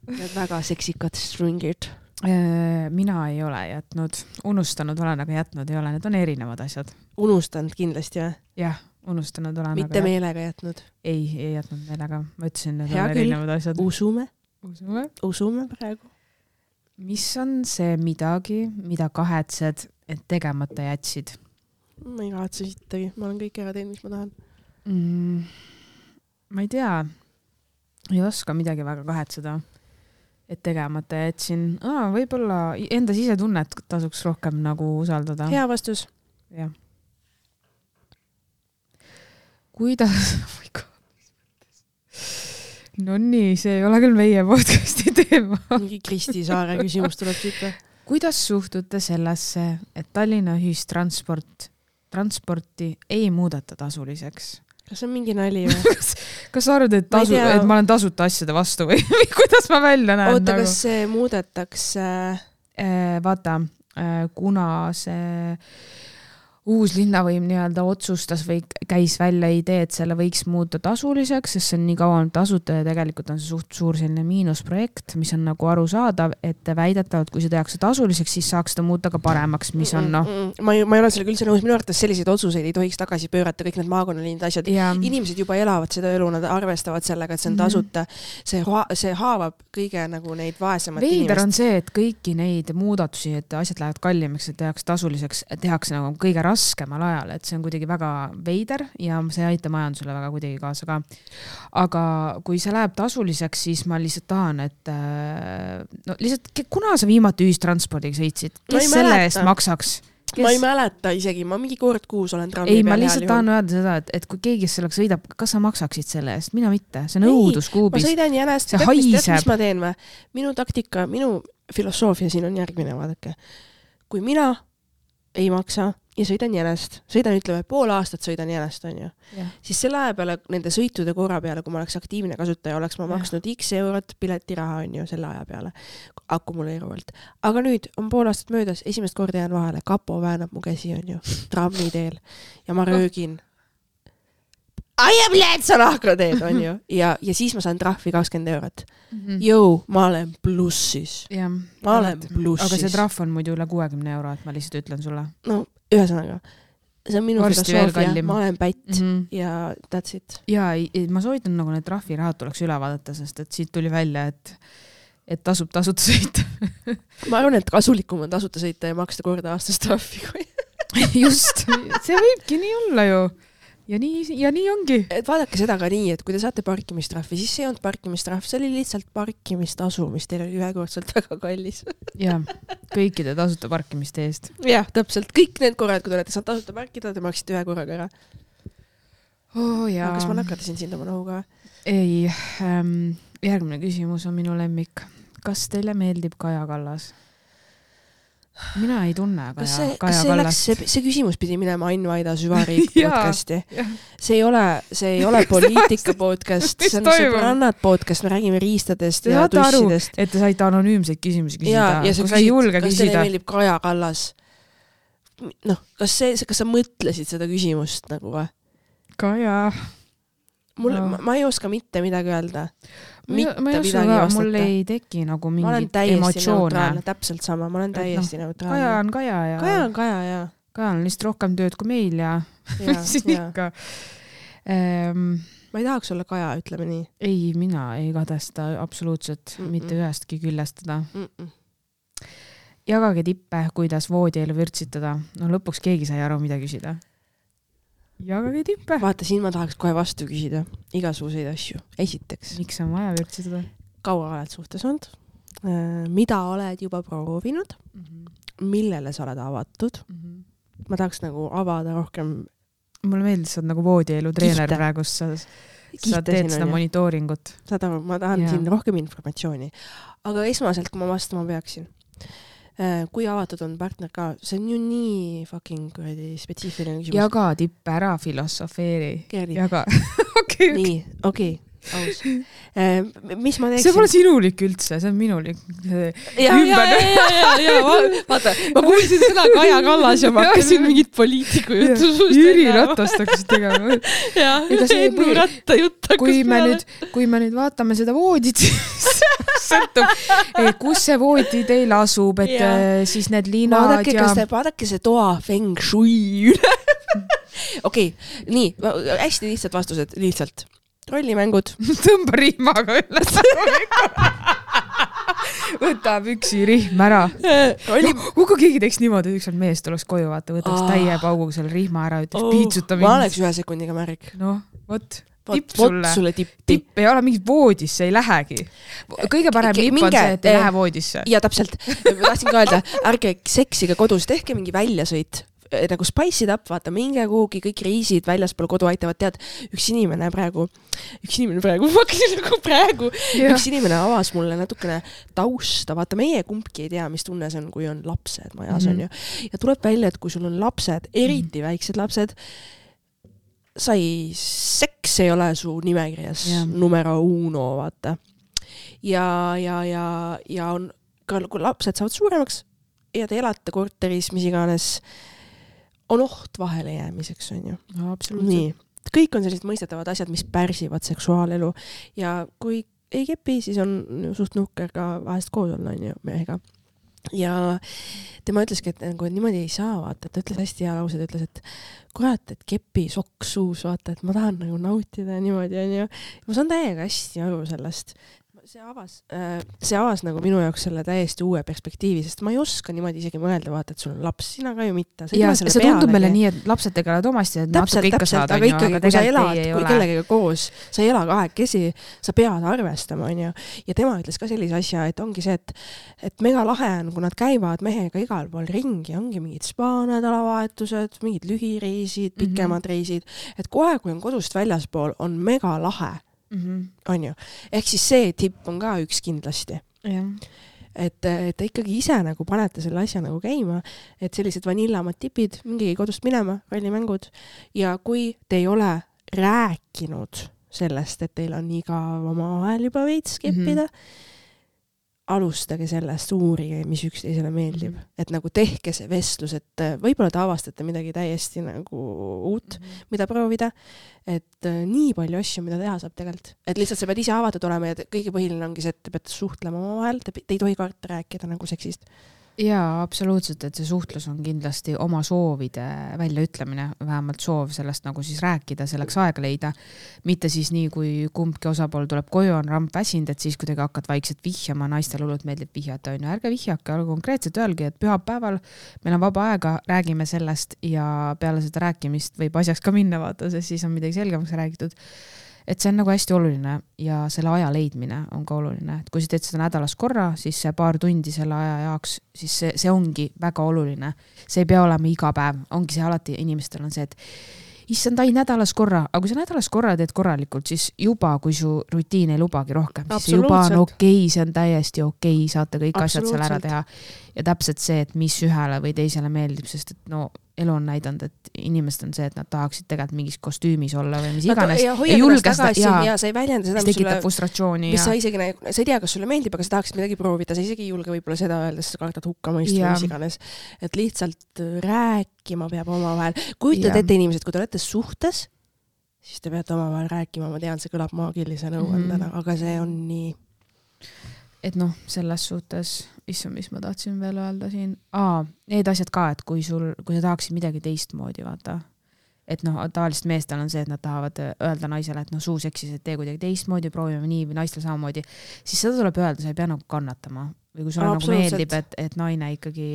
[SPEAKER 1] Need väga seksikad stringid.
[SPEAKER 2] Mina ei ole jätnud. Unustanud olen, aga jätnud ei ole. Need on erinevad asjad.
[SPEAKER 1] Unustanud kindlasti, jah?
[SPEAKER 2] Jah, unustanud olen.
[SPEAKER 1] Mitte aga meelega jätnud?
[SPEAKER 2] Ei, ei jätnud meelega. Ma ütlesin, need
[SPEAKER 1] hea
[SPEAKER 2] on
[SPEAKER 1] küll.
[SPEAKER 2] Erinevad asjad.
[SPEAKER 1] Usume.
[SPEAKER 2] Usume.
[SPEAKER 1] Usume praegu.
[SPEAKER 2] Mis on see midagi, mida kahetsed, et tegemata jätsid?
[SPEAKER 1] Ma ei kahetse sittagi. Ma olen kõik ära teinud, mis ma tahan.
[SPEAKER 2] Mm, ma ei tea. Ei oska midagi väga kahetseda, et tegemata jätsin. Aa, võib-olla enda sisetunnet tasuks rohkem nagu usaldada.
[SPEAKER 1] Hea vastus.
[SPEAKER 2] Jah. Kuidas... No nii, see ei ole küll meie podcasti teema.
[SPEAKER 1] Mingi Kristi Saare küsimus tuleb siit.
[SPEAKER 2] Kuidas suhtute sellesse, et Tallinna ühistransport, transporti ei muudeta tasuliseks?
[SPEAKER 1] Kas on mingi nali või?
[SPEAKER 2] kas, kas sa arvad, et, tasu, et ma olen tasuta asjade vastu või kuidas ma välja näen?
[SPEAKER 1] Oota, nagu? Kas see muudetakse?
[SPEAKER 2] Vaata, kuna see uus linnavõim nii-öelda otsustas või käis välja idee, et selle võiks muuta tasuliseks, sest see on nii kaua olnud tasuta ja tegelikult on see suht suur selline miinusprojekt, mis on nagu arusaadav, et väidetavalt, kui see tehakse tasuliseks, siis saaks seda muuta ka paremaks, mis on noh.
[SPEAKER 1] Ma ei, ma ei ole sellega üldse nõus, minu arvates selliseid otsuseid ei tohiks tagasi pöörata, kõik need maakonnaliinid asjad. Ja. Inimesed juba elavad seda elu, nad arvestavad sellega, et see on tasuta. See, see haavab kõige nagu neid vaesemat
[SPEAKER 2] Veider
[SPEAKER 1] inimest.
[SPEAKER 2] On see, et kõiki neid muudatusi, et asjad lähevad kallimaks, et tehakse tasuliseks, tehakse nagu kõige raskemal ajal, et see on kuidagi väga veider ja see ei aita majandusele väga kuidagi kaasa ka. Aga kui see läheb tasuliseks, siis ma lihtsalt tahan, et no lihtsalt, kuna sa viimati ühistranspordiga sõitsid, kes selle mäleta. Eest maksaks? Kes...
[SPEAKER 1] Ma ei mäleta isegi, ma mingi kord kuus olen trammi
[SPEAKER 2] ei, peal. Ei, ma lihtsalt tahan öelda seda, et, et kui keegi sellega sõidab, kas sa maksaksid selle eest? Mina mitte, see on õuduskuubis.
[SPEAKER 1] Ma sõidan jänest, tead, mis, tead, mis ma teen või? Minu taktika, minu filosoofia siin on järgmine, vaadake. Kui mina ei maksa ja sõidan jänest, sõidan ütleme pool aastat sõidan jänest, on ju. Ja. Siis selle aja peale, nende sõitude korra peale, kui ma oleks aktiivne kasutaja, oleks ma ja. maksnud X eurot piletiraha, on ju, selle aja peale akkumuleeruvalt. Aga nüüd on pool aastat möödas, esimest korda jään vahele, kapo väänab mu käsi, on ju, trammi teel ja ma röögin. Aia, bled, sa lahko teed, on ju. Ja, ja siis ma saan trahvi kakskümmend eurot. Mm-hmm. Jõu, ma olen plussis.
[SPEAKER 2] Ja,
[SPEAKER 1] ma olen plussis.
[SPEAKER 2] Aga see trahv on muidu üle kuuekümne euro, et ma lihtsalt ütlen sulle.
[SPEAKER 1] No, ühesõnaga, see on minu filosoofia, ma olen pätt mm-hmm. ja that's it.
[SPEAKER 2] Ja ma soovitan nagu need trahvirahad tuleks üle vaadata, sest et siit tuli välja, et, et tasub tasuta sõita.
[SPEAKER 1] Ma arvan, et kasulikum on tasuta sõita ja maksta korda aastas trahvi.
[SPEAKER 2] Just, see võibki nii olla ju. Ja nii, ja nii ongi.
[SPEAKER 1] Et vaadake seda ka nii, et kui te saate parkimistrahvi, siis see ei olnud parkimistrahv, see oli lihtsalt parkimistasu, mis teil oli ühekordselt väga kallis.
[SPEAKER 2] Ja, kõikide tasuta parkimiste eest.
[SPEAKER 1] Jah, täpselt. Kõik need korrad, kui te olete saanud tasuta parkida, te maksite ühe korraga ära.
[SPEAKER 2] Oh, ja.
[SPEAKER 1] Aga kas ma nakatasin sind oma nohuga?
[SPEAKER 2] Ei, ähm, järgmine küsimus on minu lemmik. Kas teile meeldib Kaja Kallas? Mina ei tunne Kaja,
[SPEAKER 1] kas see,
[SPEAKER 2] Kaja
[SPEAKER 1] kas see,
[SPEAKER 2] Kallast.
[SPEAKER 1] See, see küsimus pidi minema Ain Vaida süvariik podcasti. See ei ole, see ei ole poliitika podcast, see on sõbrannad podcast, me räägime riistadest
[SPEAKER 2] te
[SPEAKER 1] ja tussidest.
[SPEAKER 2] Aru, et te saite anonüümseid küsimusi küsida.
[SPEAKER 1] Ja, ja
[SPEAKER 2] kui
[SPEAKER 1] küsid,
[SPEAKER 2] sa ei julge
[SPEAKER 1] kas
[SPEAKER 2] küsida.
[SPEAKER 1] teile meeldib Kaja Kallas? Noh, kas, see, kas sa mõtlesid seda küsimust nagu või?
[SPEAKER 2] Kaja...
[SPEAKER 1] Mul, no. ma, ma ei oska mitte midagi öelda.
[SPEAKER 2] Mitte ma ei oska ka, mul ei teki nagu mingit emotsioone.
[SPEAKER 1] Täpselt sama, ma olen täiesti no, neutraalne.
[SPEAKER 2] Kaja on Kaja ja...
[SPEAKER 1] Kaja on Kaja, ja.
[SPEAKER 2] Kaja on lihtsalt rohkem tööd kui meil ja... ja siin ja. Ikka. Ähm,
[SPEAKER 1] ma ei tahaks olla Kaja, ütleme nii.
[SPEAKER 2] Ei, mina ei kadesta absoluutselt Mm-mm. mitte ühestki küljestada. Mm-mm. Jagage tippe, kuidas voodielu vürtsitada. No lõpuks keegi sai aru, mida küsida. Jagage tippe.
[SPEAKER 1] Vaata, siin ma tahaks kohe vastu küsida igasuguseid asju. Esiteks.
[SPEAKER 2] Miks on vaja vürtsitada?
[SPEAKER 1] Kaua oled suhtes olnud? Mida oled juba proovinud? Mm-hmm. Millele sa oled avatud? Mm-hmm. Ma tahaks nagu avada rohkem.
[SPEAKER 2] Mulle meeldis, sa oled nagu voodielu treener praegu, sa, sa teed seda monitooringut.
[SPEAKER 1] Saad aru, ma tahan ja. Siin rohkem informatsiooni. Aga esmaselt, kui ma vastama peaksin, kui avatud on partner ka, see on ju nii fucking spetsiifiline küsimus.
[SPEAKER 2] Jaga tippe ära filosofeeri.
[SPEAKER 1] Kerli.
[SPEAKER 2] Jaga. okay,
[SPEAKER 1] nii, okei, okay, aus. Mis ma teeksin?
[SPEAKER 2] See pole sinulik üldse, see on minulik.
[SPEAKER 1] Ja, ja, ja, ja, ja, vaata, ma kuulsin seda Kaja Kallas ja ma hakkasin mingit poliitiku juttu suust.
[SPEAKER 2] Jüri Ratast hakkasid tegema.
[SPEAKER 1] Ja, Ennu Ratta jutt hakkas
[SPEAKER 2] kui me nüüd, kui me nüüd vaatame seda voodit, sõltub, kus see voodi teil asub, et ja. Siis need liinad
[SPEAKER 1] vaadake,
[SPEAKER 2] ja...
[SPEAKER 1] Te, vaadake see toa feng shui üle. Okei, okay, nii, hästi lihtsad vastused, lihtsalt. Rollimängud.
[SPEAKER 2] Tõmba rihmaga üles. Võta püksi rihm ära. Rolli... Kui keegi teeks niimoodi, üks on mees tuleks koju, vaata, võtaks oh. täie pauguga selle rihma ära, ütleks oh. piitsuta
[SPEAKER 1] mingi. Ma oleks ühe sekundiga märg.
[SPEAKER 2] No, võt.
[SPEAKER 1] Tipp sulle. sulle tipp.
[SPEAKER 2] Tipp ei ole mingit voodisse, ei lähegi. Kõige parem lipp on see, et ei lähe voodisse.
[SPEAKER 1] Ja täpselt. Ma tahtsin ka öelda, ärge seksiga kodus, tehke mingi väljasõit. Nagu spice it up, vaata, minge kuhugi, kõik reisid väljaspool kodu aitavad, tead, üks inimene praegu, üks inimene praegu, nagu praegu, ja. Üks inimene avas mulle natukene tausta, vaata, meie kumbki ei tea, mis tunne see on, kui on lapsed majas mm-hmm. on ju. Ja tuleb välja, et kui sul on lapsed, eriti mm-hmm. väiksed lapsed, sai, seks ei ole su nimekirjas yeah. numero uno, vaata. Ja, ja, ja, ja on, kui lapsed saavad suuremaks, ja te elate korteris, mis iganes, on oht vahele jäämiseks, on ju.
[SPEAKER 2] No, absoluutselt.
[SPEAKER 1] Nii. Kõik on sellised mõistetavad asjad, mis pärsivad seksuaalelu ja kui ei kepi, siis on suht nukker ka vahest koos olla, on ju, mehega. Ja tema ütleski, et nagu, niimoodi ei saa, vaata, et ta ütles hästi hea lause, ta ütles, et kurat, et kepi soks suus, vaata, et ma tahan nagu nautida ja niimoodi, on ju. Ma saan täiega hästi aru sellest. See avas, see avas nagu minu jaoks selle täiesti uue perspektiivi, sest ma ei oska niimoodi isegi mõelda, vaata, et sul on laps, sina ka ju mitte.
[SPEAKER 2] Ja see tundub meile nii, et lapsed tegelevad omasti, et
[SPEAKER 1] täpselt,
[SPEAKER 2] natuke ikka
[SPEAKER 1] täpselt,
[SPEAKER 2] saada.
[SPEAKER 1] Aga ikkagi, kui sa elad kui kellegagi koos, sa ei ela kahekesi, sa pead arvestama, on ju. Ja tema ütles ka sellise asja, et ongi see, et, et mega lahe on, kui nad käivad mehega igal pool ringi, ongi mingid spaanädalavahetused, mingid lühireisid, pikemad mm-hmm. reisid, et kohe, kui on kodust väljaspool, on mega lahe. Mm-hmm. On ju. Ehk siis see tipp on ka üks kindlasti.
[SPEAKER 2] Ja.
[SPEAKER 1] Et, et ikkagi ise nagu panete selle asja nagu käima, et sellised vanillamad tipid, mingi kodust minema, rollimängud ja kui te ei ole rääkinud sellest, et teil on igav oma vahel juba veits keppida, mm-hmm. alustage sellest, uurige, mis üksteisele meeldib. Mm-hmm. Et nagu tehke see vestlus, et võib-olla te avastate midagi täiesti nagu uut, mm-hmm. mida proovida, et nii palju asju, mida teha saab tegelikult. Et lihtsalt sa pead ise avatud olema ja kõige põhiline ongi see, et te peate suhtlema oma vahel, te, te ei tohi karta rääkida nagu seksist.
[SPEAKER 2] Jaa, absoluutselt, et see suhtlus on kindlasti oma soovide väljaütlemine, vähemalt soov sellest nagu siis rääkida, selleks aega leida, mitte siis nii, kui kumbki osapool tuleb koju, on ramp väsind, et siis kuidagi hakkad vaikselt vihjama, naistel hullult meeldib vihjata, on ju, ärge vihjake, aga konkreetselt öelgi, et pühapäeval meil on vaba aega, räägime sellest ja peale seda rääkimist võib asjaks ka minna vaata, sest siis on midagi selgemaks räägitud. Et see on nagu hästi oluline ja selle aja leidmine on ka oluline. Et kui sa teed seda nädalas korra, siis see paar tundi selle aja jaoks, siis see, see ongi väga oluline. See ei pea olema iga päev. Ongi see alati, inimestel on see, et issand, ai nädalas korra. Aga kui sa nädalas korra teed korralikult, siis juba, kui su rutiin ei lubagi rohkem, siis juba on okei, see on täiesti okei, saate kõik asjad seal ära teha. Ja täpselt see, et mis ühele või teisele meeldib, sest et no elu on näidanud, et inimesed on see, et nad tahaksid tegelikult mingis kostüümis olla või mis iganes.
[SPEAKER 1] Ja hoia ennast tagasi ja, ja sa ei väljenda seda,
[SPEAKER 2] mis tekitab frustratsiooni.
[SPEAKER 1] Mis ja. Sa isegi, sa ei tea, kas sulle meeldib, aga sa tahaksid midagi proovida, sa isegi ei julge võib-olla seda öelda, sest sa kardad hukka mõistu või mis iganes. Et lihtsalt rääkima peab omavahel. Kujutad ette inimesed, kui te olete suhtes, siis te peate omavahel rääkima, ma tean, see kõlab maagilise nõuandana, mm-hmm. aga see on nii...
[SPEAKER 2] Et noh, selles suhtes, issand, mis ma tahtsin veel öelda siin. Aa, need asjad ka, et kui, sul, kui sa tahaksid midagi teistmoodi, vaata. Et noh, tavalist meestel on see, et nad tahavad öelda naisele, et noh, suu seksis, et tee kuidagi teistmoodi, proovime nii või naistel samamoodi. Siis seda tuleb öelda, sa ei pea nagu kannatama. Või kui sulle nagu meeldib, et, et naine ikkagi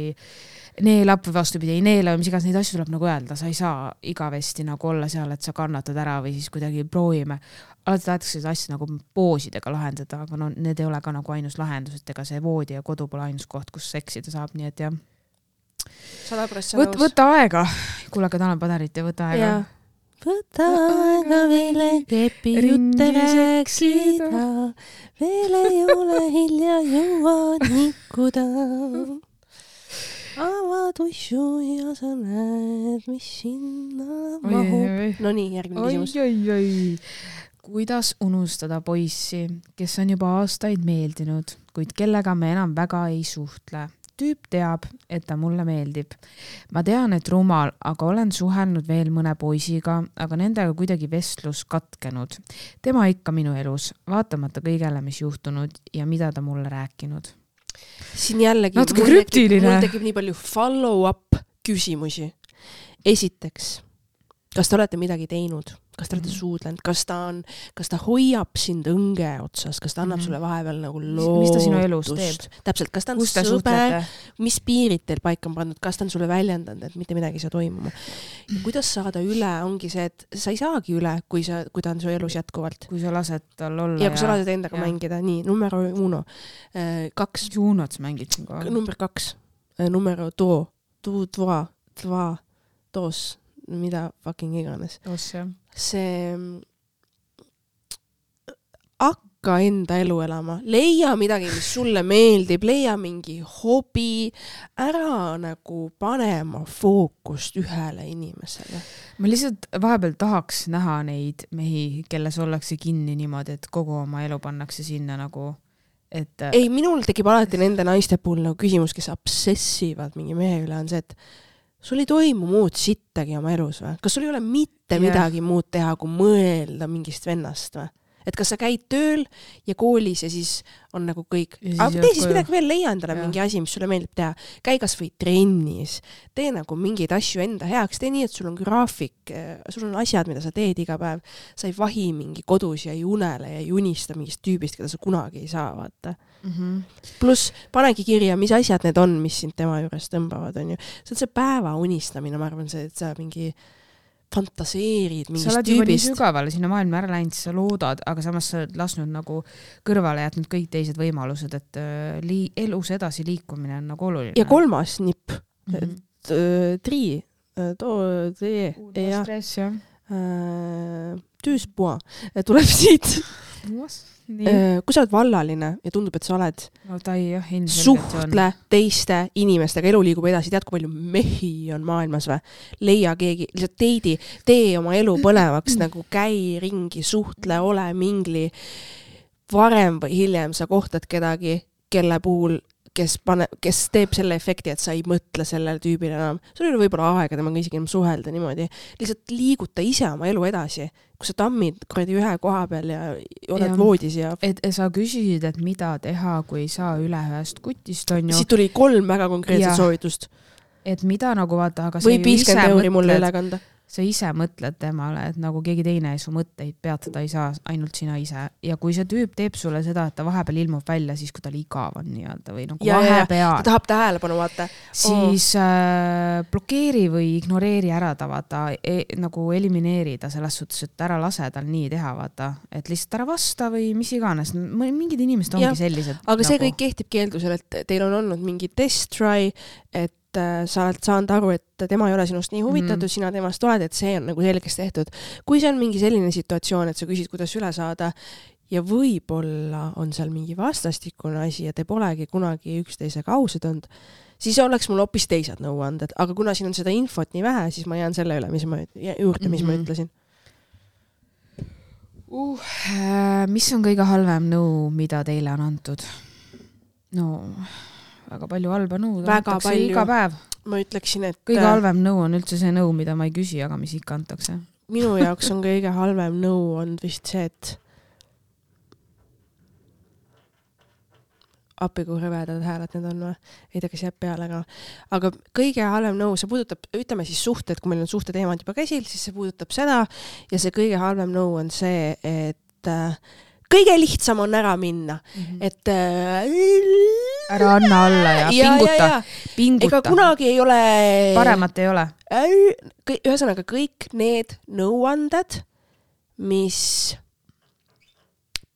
[SPEAKER 2] neelab või vastupidi, ei neela või mis igas neid asju tuleb nagu öelda. Sa ei saa igavesti nagu olla seal, et sa kannatad ära või siis kuidagi proovime. Alati tahetakse seda asja nagu poosidega lahendada, aga no need ei ole ka nagu ainus lahendus, et ega see voodi ja kodu pole ainus koht, kus seksida saab, nii et jah.
[SPEAKER 1] sada protsenti
[SPEAKER 2] Võt, võta aega. Kuule, aga tänan padarit ja võta aega. Ja.
[SPEAKER 1] Võta aega veele kepi jutte rääksida, veel ei ole hilja jõua nikkuda. Avad uissu ja sa näed, mis sinna mahub. No nii, järgmine küsimus.
[SPEAKER 2] Oi, oi, oi. Kuidas unustada poissi, kes on juba aastaid meeldinud, kuid kellega me enam väga ei suhtle? Tüüp teab, et ta mulle meeldib. Ma tean, et rumal, aga olen suhelnud veel mõne poisiga, aga nendega kuidagi vestlus katkenud. Tema ikka minu elus, vaatamata kõigele, mis juhtunud ja mida ta mulle rääkinud.
[SPEAKER 1] Siin jällegi
[SPEAKER 2] natuke mul tekib,
[SPEAKER 1] mul tekib nii palju follow-up küsimusi. Esiteks, kas te olete midagi teinud? Kas te olete mm-hmm. suudlenud? Kas ta, on, kas ta hoiab sind õnge otsas? Kas ta annab mm-hmm. sulle vahepeal nagu lootust?
[SPEAKER 2] Mis ta sinu elus teeb?
[SPEAKER 1] Täpselt, kas ta on sõber? Mis piirid teil paika on pandud? Kas ta on sulle väljendanud, et mitte midagi ei saa toimuma? Ja kuidas saada üle? Ongi see, et sa ei saagi üle, kui, sa, kui ta on su elus jätkuvalt.
[SPEAKER 2] Kui sa lased tal olla.
[SPEAKER 1] Ja kui sa lased endaga ja. Mängida. Nii, numero uno. Kaks.
[SPEAKER 2] Juunot sa mängid siin kohe.
[SPEAKER 1] Number kaks. Numero do. Tu, dva, dva, dos. Mida fucking iganes.
[SPEAKER 2] Os, jah.
[SPEAKER 1] See hakka enda elu elama, leia midagi, mis sulle meeldib, leia mingi hobi, ära nagu panema fookust ühele inimesele.
[SPEAKER 2] Ma lihtsalt vahepeal tahaks näha neid mehi, kelles ollakse kinni niimoodi, et kogu oma elu pannakse sinna nagu, et
[SPEAKER 1] ei, minul tekib alati nende naiste puhul nagu küsimus, kes obsessivad mingi mehe üle, on see, et sul ei toimu muud sittagi oma elus või? Kas sul ei ole mitte yeah. midagi muud teha, kui mõelda mingist vennast või? Et kas sa käid tööl ja koolis ja siis on nagu kõik, aga tee siis midagi veel, leia endale ja. mingi asi, mis sulle meeldib teha. Käi kas või trennis, tee nagu mingeid asju enda heaks, tee nii, et sul on graafik, sul on asjad, mida sa teed iga päev. Sa ei vahi mingi kodus ja ei unele ja ei unista mingist tüübist, keda sa kunagi ei saa, vaata. Mm-hmm. Plus panegi kirja, mis asjad need on, mis sind tema juures tõmbavad, on ju. See on see päeva unistamine, ma arvan, see, et sa mingi fantaseerid mingist tüübist.
[SPEAKER 2] Sa oled juba nii sügavale sinna maailma ära läinud, sa loodad, aga samas sa oled lasknud nagu kõrvale jätnud kõik teised võimalused, et li- elus edasi liikumine on nagu oluline.
[SPEAKER 1] Ja kolmas nipp, mm-hmm. tri, too, tee, ja, tüüspua, tuleb siit. Nii. Kui sa oled vallaline ja tundub, et sa oled
[SPEAKER 2] no, tai, jah,
[SPEAKER 1] suhtle teiste inimestega, elu liigub edasi, tead, kui palju mehi on maailmas või? Leia keegi, lihtsalt teidi, tee oma elu põnevaks, nagu käi ringi, suhtle, ole mingli. Varem või hiljem sa kohtad kedagi, kelle puhul, kes, pane, kes teeb selle efekti, et sa ei mõtle sellele tüübile enam. Sul ei ole võib-olla aega temaga isegi enam suhelda niimoodi. Lihtsalt liiguta ise oma elu edasi. Kui sa tammid kuradi ühe koha peal ja oled ja, voodis ja...
[SPEAKER 2] Et sa küsisid, et mida teha, kui ei saa üle ühest kutist, on ju...
[SPEAKER 1] Siit tuli kolm väga konkreetset soovitust.
[SPEAKER 2] Et mida nagu vaata, aga
[SPEAKER 1] või viiskümmend euri mulle üle kanda.
[SPEAKER 2] Sa ise mõtled temale, et nagu keegi teine su mõtteid peatada ei saa, ainult sina ise. Ja kui see tüüp teeb sulle seda, et ta vahepeal ilmub välja, siis kui ta igav on nii-öelda või nagu ja, vahepeal.
[SPEAKER 1] Ta tahab tähelepanu vaata.
[SPEAKER 2] Siis oh. äh, blokeeri või ignoreeri ära ta vaata, e, nagu elimineeri ta selles suhtes, et ära lase tal nii teha vaata, et lihtsalt ära vasta või mis iganes. Mingid inimesed ongi ja, sellised.
[SPEAKER 1] Aga
[SPEAKER 2] nagu...
[SPEAKER 1] see kõik kehtib keeldusel, et teil on olnud mingi test try, et sa oled saanud aru, et tema ei ole sinust nii huvitatud, mm. sina temast oled, et see on nagu selgeks tehtud. Kui see on mingi selline situatsioon, et sa küsid, kuidas üle saada ja võib-olla on seal mingi vastastikune asi ja te polegi kunagi üksteisega ausad olnud, siis oleks mul hoopis teised nõuanded. Aga kuna siin on seda infot nii vähe, siis ma jään selle üle, mis ma, juurde, mis mm-hmm. ma ütlesin.
[SPEAKER 2] Uh, mis on kõige halvem nõu, mida teile on antud? No... väga palju halba nõu,
[SPEAKER 1] väga palju.
[SPEAKER 2] Iga päev.
[SPEAKER 1] Ma ütleksin, et...
[SPEAKER 2] Kõige halvem nõu on üldse see nõu, mida ma ei küsi, aga mis ikka antakse.
[SPEAKER 1] Minu jaoks on kõige halvem nõu on vist see, et appi kui rõvedad hääled need on või? Ei tea, kes jääb peale ka. Aga kõige halvem nõu, see puudutab, ütleme siis suhted, kui meil on suhte teemad juba käsil, siis see puudutab seda ja see kõige halvem nõu on see, et kõige lihtsam on ära minna. Mm-hmm. Et äh,
[SPEAKER 2] ära anna alla ja, ja pinguta. Ja, ja. pinguta.
[SPEAKER 1] Ega kunagi ei ole...
[SPEAKER 2] Paremat ei ole.
[SPEAKER 1] Ühesõnaga kõik need nõuanded, mis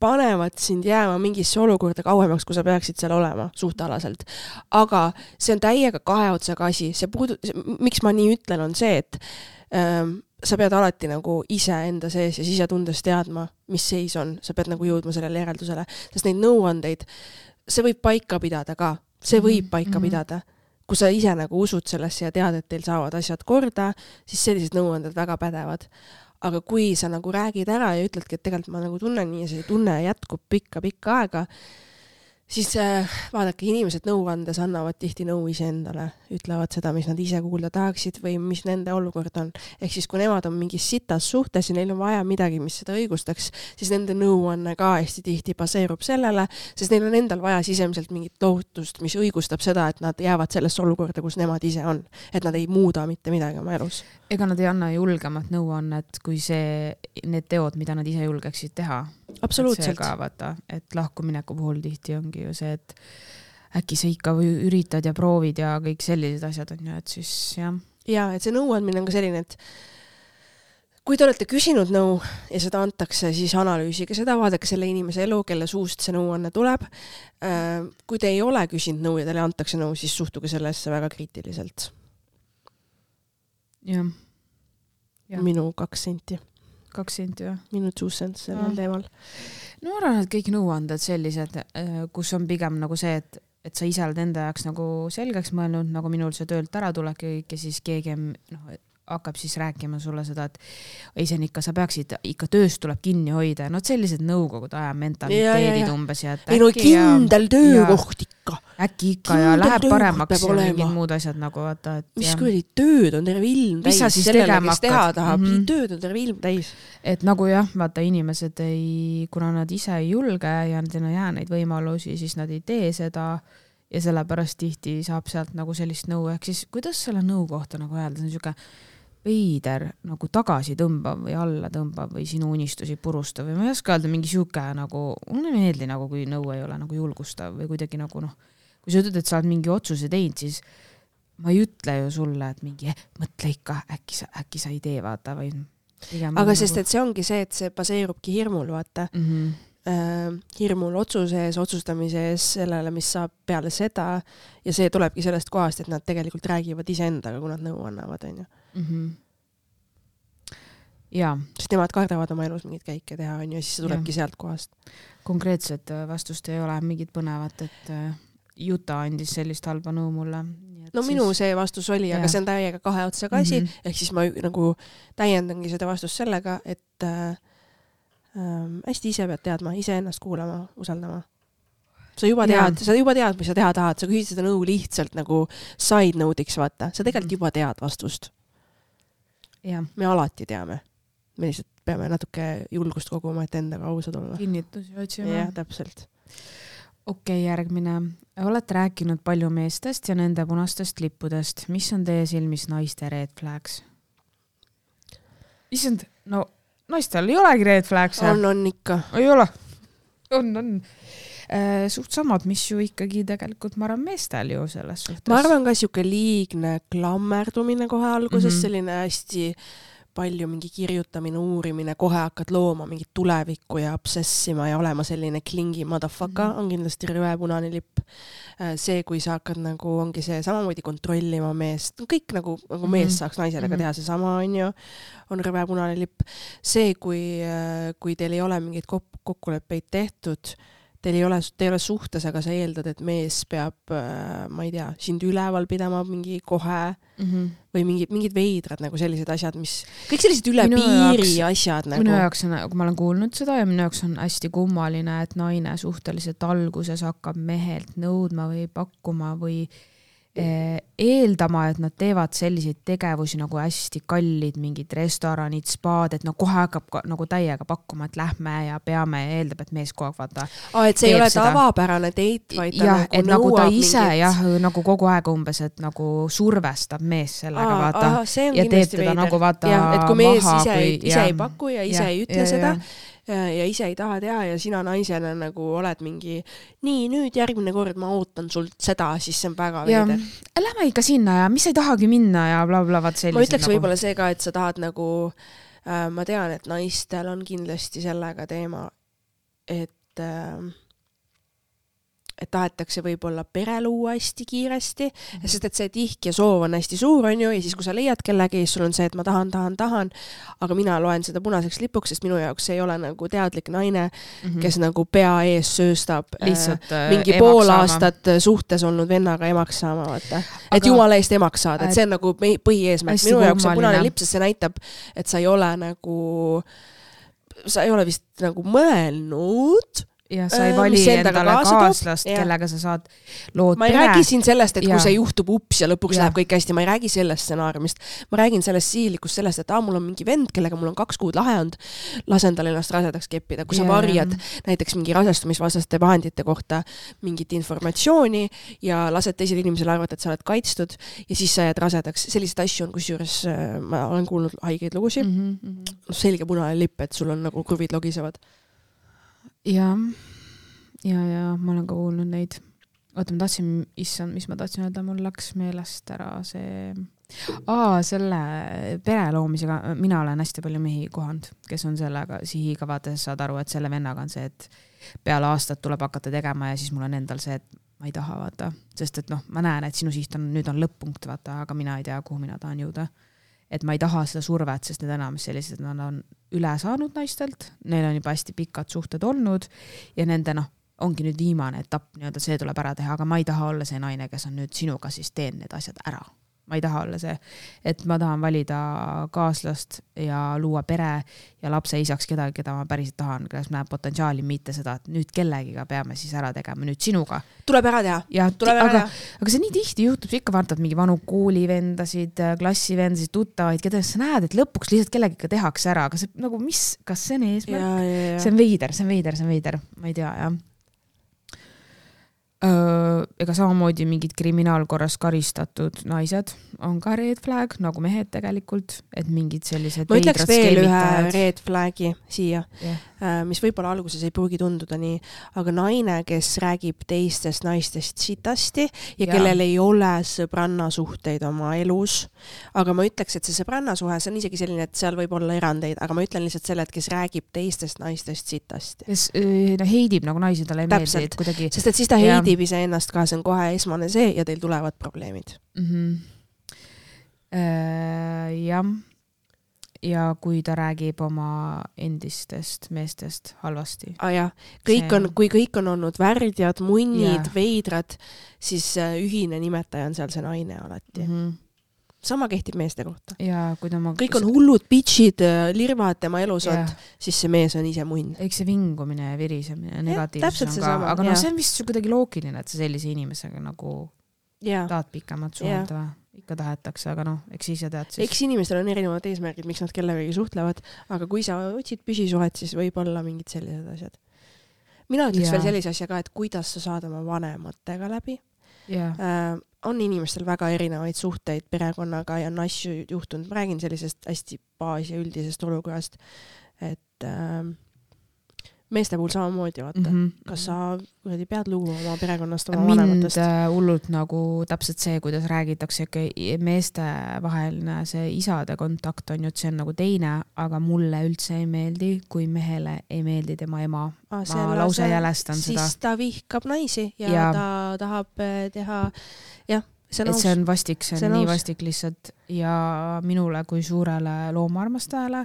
[SPEAKER 1] panevad sind jääma mingisse olukorda kauemaks, kui sa peaksid seal olema suhtealaselt. Aga see on täiega kahe otsaga asi. See puudu... Miks ma nii ütlen, on see, et ähm, sa pead alati nagu ise enda sees ja sisetundes teadma, mis seis on. Sa pead nagu jõudma sellele järeldusele. Sest neid nõuandeid, see võib paika pidada ka. See võib paika mm-hmm. pidada. Kui sa ise nagu usud sellesse ja tead, et teil saavad asjad korda, siis sellised nõuanded väga pädevad. Aga kui sa nagu räägid ära ja ütledki, et tegelikult ma nagu tunnen nii ja see tunne jätkub pikka-pikka aega, siis äh, vaadake, inimesed nõuandes annavad tihti nõu ise endale, ütlevad seda, mis nad ise kuulda tahaksid või mis nende olukord on. Ehk siis, kui nemad on mingis sitas suhtes ja neil on vaja midagi, mis seda õigustaks, siis nende nõuanne ka hästi tihti baseerub sellele, sest neil on endal vaja sisemiselt mingit lohutust, mis õigustab seda, et nad jäävad sellesse olukorda, kus nemad ise on. Et nad ei muuda mitte midagi oma elus.
[SPEAKER 2] Ega nad ei anna julgemat nõuannet, kui see, need teod, mida nad ise julgeksid teha.
[SPEAKER 1] Absoluutselt.
[SPEAKER 2] Et, ka, vaata, et lahkumineku puhul tihti ongi ju see, et äkki sa ikka üritad ja proovid ja kõik sellised asjad on ju, et siis jah.
[SPEAKER 1] Ja, et see nõuandmine on ka selline, et kui te olete küsinud nõu ja seda antakse, siis analüüsige seda, vaadake selle inimese elu, kelle suust see nõuanne tuleb. Kui te ei ole küsinud nõu ja teile antakse nõu, siis suhtuge sellesse väga kriitiliselt.
[SPEAKER 2] Ja. Ja.
[SPEAKER 1] Minu kaks senti.
[SPEAKER 2] Kaks senti, jah.
[SPEAKER 1] Minu two cents sellel teemal.
[SPEAKER 2] No ma arvan, et kõik nõuanded sellised, kus on pigem nagu see, et, et sa ise oled enda jaoks nagu selgeks mõelnud, nagu minul see töölt ära tulek ja siis keegi no, hakkab siis rääkima sulle seda, et ei, see on ikka, sa peaksid, ikka tööst tuleb kinni hoida. No sellised nõukogude aja mentaliteedid umbes. Ja,
[SPEAKER 1] ei no kindel ja, töökoht ikka.
[SPEAKER 2] Äkki ikka kindel ja läheb paremaks ja mingid muud asjad nagu vaata. Et,
[SPEAKER 1] mis kui tööd on terve ilm täis. Sellele, kes teha tahab, mm -hmm. tööd on terve ilm täis.
[SPEAKER 2] Et nagu jah, vaata inimesed ei, kuna nad ise ei julge ja nad ei jää neid võimalusi, siis nad ei tee seda ja sellepärast tihti saab sealt nagu sellist nõu. Ehk siis kuidas selle nõu kohta nagu öelda, see on siuke veider nagu tagasi tõmbav või alla tõmbav või sinu unistusi purustav või ma ei oska öelda mingi siuke nagu, mulle meeldi nagu kui nõu ei ole nagu julgustav või kuidagi nagu noh, kui sa ütled, et sa oled mingi otsuse teinud, siis ma ei ütle ju sulle, et mingi eh, mõtle ikka, äkki sa, äkki sa ei tee, vaata või.
[SPEAKER 1] Aga sest, nagu... et see ongi see, et see baseerubki hirmul, vaata. Mm -hmm. äh, hirmul otsuse ees, otsustamise ees, sellele, mis saab peale seda ja see tulebki sellest kohast, et nad tegelikult räägivad iseendaga, kui nad nõu annavad, on ju. Mm-hmm.
[SPEAKER 2] Ja.
[SPEAKER 1] Sest nemad kardavad oma elus mingid käike teha, on ju, ja siis see tulebki ja. Sealt kohast.
[SPEAKER 2] Konkreetset vastust ei ole mingit põnevat, et Juta andis sellist halba nõu mulle.
[SPEAKER 1] No siis... minu see vastus oli, ja. Aga see on täiega kahe otsaga asi, mm-hmm. ehk siis ma nagu täiendangi seda vastust sellega, et äh, äh, hästi ise pead teadma, ise ennast kuulama, usaldama. Sa juba tead, sa juba tead, mis sa teha tahad, sa küsid seda nõu lihtsalt nagu side note'iks, vaata. Sa tegelikult juba tead vastust.
[SPEAKER 2] Ja.
[SPEAKER 1] Me alati teame. Me lihtsalt peame natuke julgust koguma, et endaga ausad olla.
[SPEAKER 2] Kinnitusi otsima.
[SPEAKER 1] Jah, täpselt.
[SPEAKER 2] Okei, järgmine. Olete rääkinud palju meestest ja nende punastest lippudest. Mis on teie silmis naiste red flags? Issand, no naistel ei olegi red flags.
[SPEAKER 1] On, on ikka.
[SPEAKER 2] Ei ole. On, on. Suht samad, mis ju ikkagi tegelikult ma arvan meestel ju selles suhtes.
[SPEAKER 1] Ma arvan ka siuke liigne klammerdumine kohe alguses, mm-hmm. selline hästi palju mingi kirjutamine, uurimine, kohe hakkad looma mingit tulevikku ja obsessima ja olema selline klingi motherfucker, mm-hmm. on kindlasti rõve punane lipp. See, kui sa hakkad nagu, ongi see samamoodi kontrollima meest, kõik nagu, nagu mm-hmm. mees saaks naisele ka teha see sama, on ju, on rõve punane lipp. See, kui, kui teil ei ole mingid kokkuleppeid tehtud, teil ei ole, te ei ole suhtes, aga sa eeldad, et mees peab, ma ei tea, sind üleval pidama mingi kohe mm-hmm. või mingid, mingid veidrad nagu sellised asjad, mis, kõik sellised üle minu piiri jaoks, asjad nagu.
[SPEAKER 2] Minu jaoks on, kui ma olen kuulnud seda ja minu jaoks on hästi kummaline, et naine suhteliselt alguses hakkab mehelt nõudma või pakkuma või eeldama, et nad teevad selliseid tegevusi nagu hästi kallid, mingid restoranid, spaad, et no kohe hakkab ka, nagu täiega pakkuma, et lähme ja peame ja eeldab, et mees kogu aeg vaata.
[SPEAKER 1] Aa, et see ei ole seda. Tavapärane date, vaid ta
[SPEAKER 2] jah,
[SPEAKER 1] nagu
[SPEAKER 2] et nagu ta ise
[SPEAKER 1] mingit...
[SPEAKER 2] jah, nagu kogu aeg umbes, et nagu survestab mees sellega
[SPEAKER 1] aa,
[SPEAKER 2] vaata.
[SPEAKER 1] Aa, see on
[SPEAKER 2] ja teeb teda veider. Nagu vaata
[SPEAKER 1] ja, et kui mees
[SPEAKER 2] maha,
[SPEAKER 1] ise,
[SPEAKER 2] kui,
[SPEAKER 1] ise ei paku ja ise
[SPEAKER 2] ja,
[SPEAKER 1] ei ütle
[SPEAKER 2] ja,
[SPEAKER 1] seda,
[SPEAKER 2] ja.
[SPEAKER 1] ja ise ei taha teha ja sina naisena nagu oled mingi nii, nüüd järgmine kord ma ootan sult seda, siis see on väga veider.
[SPEAKER 2] Lähme ikka sinna ja mis ei tahagi minna ja bla bla bla sellised.
[SPEAKER 1] Ma ütleks
[SPEAKER 2] nagu...
[SPEAKER 1] võib-olla see ka, et sa tahad nagu äh, ma tean, et naistel on kindlasti sellega teema, et äh, et tahetakse võib-olla pere luua hästi kiiresti, mm-hmm. sest et see tihk ja soov on hästi suur, on ju, ja siis kui sa leiad kellegi, sul on see, et ma tahan, tahan, tahan, aga mina loen seda punaseks lipuks, sest minu jaoks ei ole nagu teadlik naine, mm-hmm. kes nagu pea ees sööstab
[SPEAKER 2] lihtsalt,
[SPEAKER 1] äh, mingi pool saama. Aastat suhtes olnud vennaga emaks saama, vaata. Et aga... jumala eest emaks saada, et see on nagu põhieesmärk. Minu jaoks on punane lipp, sest see näitab, et sa ei ole nagu, sa ei ole vist nagu mõelnud,
[SPEAKER 2] ja sa ei vali endale kaaslast, kellega sa saad lood
[SPEAKER 1] ma ei
[SPEAKER 2] pere.
[SPEAKER 1] Räägi siin sellest, et
[SPEAKER 2] ja.
[SPEAKER 1] Kui see juhtub ups ja lõpuks
[SPEAKER 2] ja.
[SPEAKER 1] Läheb kõik hästi, ma ei räägi sellest stsenaariumist. Ma räägin sellest sihilikust sellest, et aa, mul on mingi vend, kellega mul on kaks kuud lahe olnud, lasen tal ennast rasedaks keppida. Kui ja. Sa varjad näiteks mingi rasestumisvastaste vahendite kohta mingit informatsiooni ja lased teisel inimesel arvata, et sa oled kaitstud ja siis sa jääd rasedaks. Sellised asju on, kusjuures ma olen kuulnud haigeid lugusid. Mm-hmm. Selge punane lipp, et sul on nagu kruvid logisevad.
[SPEAKER 2] Ja, ja, ja ma olen ka kuulnud neid. Oota, ma tahtsin, issand, mis ma tahtsin öelda, mul läks meelest ära see... Aa, selle pere loomisega, mina olen hästi palju mehi kohanud, kes on sellega sihiga vaata, saad aru, et selle vennaga on see, et peale aastat tuleb hakata tegema ja siis mul on endal see, et ma ei taha vaata, sest et noh, ma näen, et sinu siht on, nüüd on lõpp-punkt vaata, aga mina ei tea, kuhu mina tahan jõuda. Et ma ei taha seda survet, sest need enamus sellised, nad on üle saanud naistelt, neil on juba hästi pikad suhted olnud ja nende noh, ongi nüüd viimane etapp, nii-öelda see tuleb ära teha, aga ma ei taha olla see naine, kes on nüüd sinuga, siis teen need asjad ära. ma ei taha olla see, et ma tahan valida kaaslast ja luua pere ja lapse isaks kedagi, keda ma päriselt tahan, kes näeb potentsiaali, mitte seda, et nüüd kellegiga peame siis ära tegema, nüüd sinuga.
[SPEAKER 1] Tuleb ära teha.
[SPEAKER 2] Ja,
[SPEAKER 1] Tuleb
[SPEAKER 2] aga,
[SPEAKER 1] ära teha.
[SPEAKER 2] aga see nii tihti juhtub, ikka vaatad mingi vanu koolivendasid, klassivendasid, tuttavaid, keda sa näed, et lõpuks lihtsalt kellegiga tehakse ära, aga see nagu mis, kas see on eesmärk?
[SPEAKER 1] Ja, ja, ja.
[SPEAKER 2] See on veider, see on veider, see on veider, ma ei tea, jah. Öö, ega samamoodi mingid kriminaalkorras karistatud naised on ka red flag, nagu mehed tegelikult, et mingid sellised
[SPEAKER 1] ma ütleks veel
[SPEAKER 2] skeemitajad.
[SPEAKER 1] ühe red flagi siia,
[SPEAKER 2] yeah.
[SPEAKER 1] mis võib-olla alguses ei pruugi tunduda nii, aga naine, kes räägib teistest naistest sitasti ja, ja kellel ei ole sõbrannasuhteid oma elus, aga ma ütleks, et see sõbrannasuhe, see on isegi selline, et seal võib olla erandeid, aga ma ütlen lihtsalt selle, et kes räägib teistest naistest sitasti.
[SPEAKER 2] Kes no, heidib nagu naisi, talle ei meeldi, et kuidagi...
[SPEAKER 1] Sest et siis ta heidib ja. ise ennast ka, see on kohe esmane see ja teil tulevad probleemid.
[SPEAKER 2] Mm-hmm. Äh, jah. Ja kui ta räägib oma endistest meestest halvasti.
[SPEAKER 1] Ah, jah. Kõik on, kui kõik on olnud värdjad, munnid, ja. veidrad, siis ühine nimetaja on seal see naine alati. Mm-hmm. Sama kehtib meeste kohta.
[SPEAKER 2] Ja, kui ta ma...
[SPEAKER 1] Kõik on hullud bitchid, lirvad tema elus on, siis see mees on ise munn.
[SPEAKER 2] Eks see vingumine ja virisemine negatiivsus on ka, sama, aga no, see on vist kuidagi loogiline, et sa sellise inimesega nagu ja. tahad pikemat suhelda või? Ikka tahetakse, aga noh, eks ise tead siis.
[SPEAKER 1] Eks inimestel on erinevad eesmärgid, miks nad kellegagi suhtlevad, aga kui sa otsid püsisuhet, siis võib olla mingid sellised asjad. Mina ütleks ja. veel sellise asja ka, et kuidas sa saad oma vanematega läbi. Ja. Äh, on inimestel väga erinevaid suhteid perekonnaga ja on asju juhtunud. Ma räägin sellisest hästi baas- ja üldisest olukorrast, et äh, meeste puhul samamoodi, vaata. Mm-hmm. Kas sa kuradi pead lugu oma perekonnast, oma
[SPEAKER 2] Mind
[SPEAKER 1] vanematest?
[SPEAKER 2] Mind hullult nagu täpselt see, kuidas räägitakse, meeste vaheline see isade kontakt on ju, et see on nagu teine, aga mulle üldse ei meeldi, kui mehele ei meeldi tema ema. Ah, ma lause see, jälestan
[SPEAKER 1] siis
[SPEAKER 2] seda.
[SPEAKER 1] Siis ta vihkab naisi ja, ja ta tahab teha, jah, see on,
[SPEAKER 2] see on vastik, see on, see on nii vastik lihtsalt ja minule kui suurele loomaarmastajale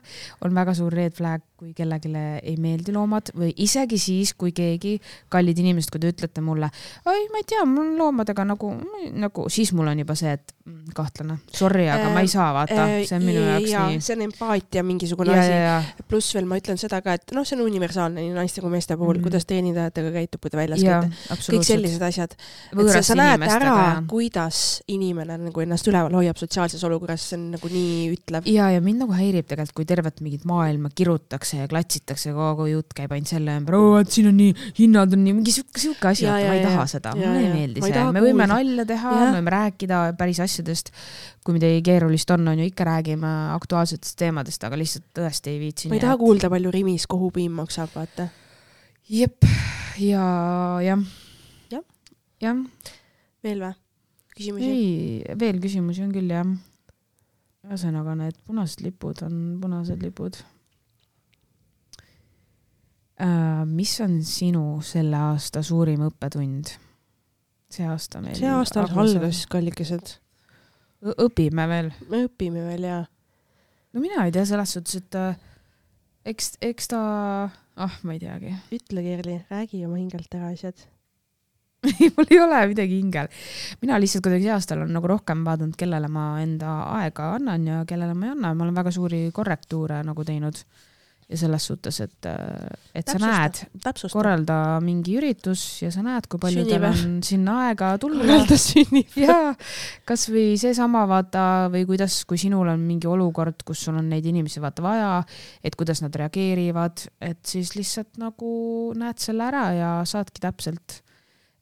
[SPEAKER 2] on väga suur red flag, kui kellegile ei meeldi loomad või isegi siis, kui keegi kallid inimesed, kui te ütlete mulle, oi, ma ei tea, mul on loomadega nagu, nagu siis mul on juba see, et kahtlane, sorry, aga äh, ma ei saa vaata, see on minu jaoks
[SPEAKER 1] ja,
[SPEAKER 2] nii.
[SPEAKER 1] See on empaatia mingisugune
[SPEAKER 2] ja,
[SPEAKER 1] asi,
[SPEAKER 2] ja, ja.
[SPEAKER 1] Pluss veel ma ütlen seda ka, et noh, see on universaalne nii naiste kui meeste puhul, mm. kuidas teenindajatega käitub, kui ta väljas käite. Kõik sellised asjad. Et sa, sa näed ära, ja. kuidas inimene nagu ennast üleval hoiab sotsiaalses olukorras, see on nagu nii ütlev.
[SPEAKER 2] Ja, ja mind nagu häirib tegelikult, kui tervet mingit maailma kirutakse ja klatsitakse, kogu jutt käib ainult selle ümber, oo, et siin on nii, hinnad on nii, mingi siuke asi, ja, ma ei taha seda, mulle ei meeldi see. Me võime nalja teha, me võime rääkida päris asjadest, kui midagi keerulist on, on ju ikka räägime aktuaalsetest teemadest, aga lihtsalt tõesti ei viitsi.
[SPEAKER 1] Ma ei taha et... kuulda, palju Rimis kohupiim maksab, vaata.
[SPEAKER 2] Jep, ja jah.
[SPEAKER 1] Ja.
[SPEAKER 2] Ja.
[SPEAKER 1] Veel või? Küsimusi?
[SPEAKER 2] Ei, veel küsimusi on küll, jah. Ühesõnaga, need punased lipud on punased lipud. Äh, mis on sinu selle aasta suurim õppetund? See aasta meil.
[SPEAKER 1] See aasta algas kallikesed.
[SPEAKER 2] Õpime veel.
[SPEAKER 1] Me õpime veel, jaa.
[SPEAKER 2] No mina ei tea selles suhtes, et eks, eks ta... Ah, ma ei teagi.
[SPEAKER 1] Ütle, Kerli, räägi oma hingelt ära asjad.
[SPEAKER 2] Mul ei ole midagi hingel. Mina lihtsalt kuidagi see aastal on nagu rohkem vaadanud, kellele ma enda aega annan ja kellele ma ei anna. Ma olen väga suuri korrektuure nagu teinud ja selles suhtes, et, et sa näed,
[SPEAKER 1] täpsusta.
[SPEAKER 2] Korralda mingi üritus ja sa näed, kui palju teil on sinna aega tulla.
[SPEAKER 1] Korralda sünnib.
[SPEAKER 2] Ja, kas või see sama vaata või kuidas, kui sinul on mingi olukord, kus sul on neid inimesi vaata vaja, et kuidas nad reageerivad, et siis lihtsalt nagu näed selle ära ja saadki täpselt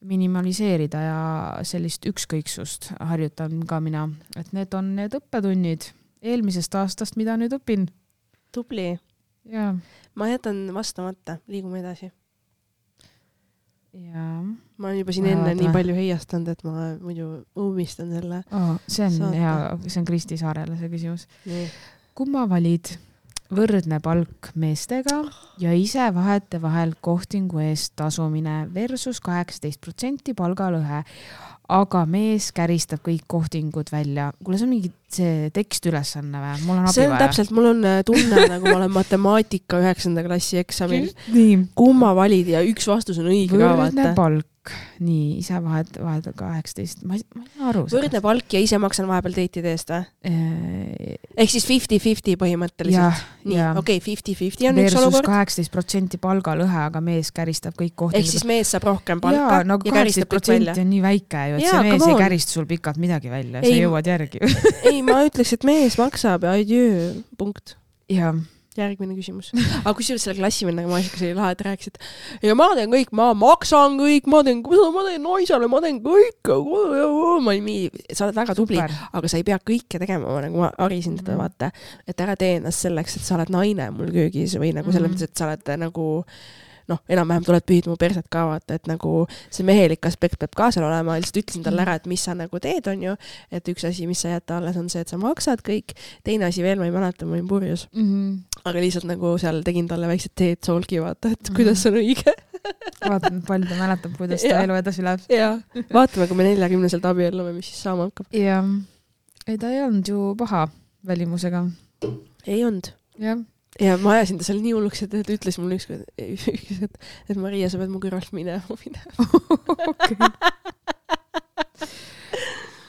[SPEAKER 2] minimaliseerida ja sellist ükskõiksust harjutan ka mina, et need on need õppetunnid eelmisest aastast, mida nüüd õpin.
[SPEAKER 1] Tubli.
[SPEAKER 2] Ja.
[SPEAKER 1] Ma jätan vastamata, liigume edasi.
[SPEAKER 2] Ja.
[SPEAKER 1] Ma olen juba siin Vaata. enne nii palju heiastanud, et ma muidu umistan selle.
[SPEAKER 2] Oh, see on saata. Hea, see on Kristi Saarele see küsimus.
[SPEAKER 1] Nii.
[SPEAKER 2] Kumma valid võrdne palk meestega ja ise vahete vahel kohtingu eest tasumine versus kaheksateist protsenti palgalõhe. aga mees käristab kõik kohtingud välja. Kuule, see on mingi see tekstülesanne või? Mul on abi
[SPEAKER 1] see on
[SPEAKER 2] vaja.
[SPEAKER 1] Täpselt, mul on tunne, nagu ma olen matemaatika üheksanda klassi eksamil.
[SPEAKER 2] Nii.
[SPEAKER 1] Kumma valid ja üks vastus on õige ka vaata.
[SPEAKER 2] Võrdne palk. Nii, ise vahet, vahet kaheksateist. Ma, ma ei aru.
[SPEAKER 1] Võrdne palk ja ise maksan vahepeal teitide eest või?
[SPEAKER 2] Eee...
[SPEAKER 1] Ehk siis viiskümmend viiskümmend põhimõtteliselt. Nii, okei, okay, viiskümmend viiskümmend on üks olukord.
[SPEAKER 2] Versus kaheksateist protsenti palgalõhe, aga mees käristab kõik kohtingud.
[SPEAKER 1] Ehk siis mees saab rohkem palka
[SPEAKER 2] ja, no,
[SPEAKER 1] ja käristab kõik välja.
[SPEAKER 2] on nii väike ju, et ja, see mees ei kärista sul pikalt midagi välja. Sa jõuad järgi.
[SPEAKER 1] Ei, ma ütleks, et mees maksab ja adjöö, punkt.
[SPEAKER 2] Ja.
[SPEAKER 1] Järgmine küsimus. Aga kusjuures selle klassivennaga ma asjaga see lahe, et rääkis, et ja ma teen kõik, ma maksan kõik, ma teen, ma teen naisele, ma teen kõik. Ma olin nii, sa oled väga tubli, Super. Aga sa ei pea kõike tegema, nagu ma harisin teda mm. vaata, et ära tee ennast selleks, et sa oled naine mul köögis või nagu selles mõttes, mm. et sa oled nagu noh, enam-vähem tuled pühid mu perset ka vaata, et nagu see mehelik aspekt peab ka seal olema, lihtsalt ütlesin talle ära, et mis sa nagu teed on ju, et üks asi, mis sa jätta alles on see, et sa maksad kõik, teine asi veel, ma ei mäleta, ma olin purjus, mm-hmm. aga lihtsalt nagu seal tegin talle väiksed teed soolgi vaata, et mm-hmm. kuidas on õige.
[SPEAKER 2] Vaatan, palju ta mäletab, kuidas ta elu edasi läheb.
[SPEAKER 1] Ja, vaatame, kui me neljakümneselt abiellume, mis siis saama hakkab.
[SPEAKER 2] Ja, ei ta ei olnud ju paha välimusega.
[SPEAKER 1] Ei olnud.
[SPEAKER 2] Jah.
[SPEAKER 1] Ja ma ajasin ta seal nii hulluks, et ta ütles mulle ükskord, et, et Maria, sa pead mu kõrvalt minema. minema.
[SPEAKER 2] Okay.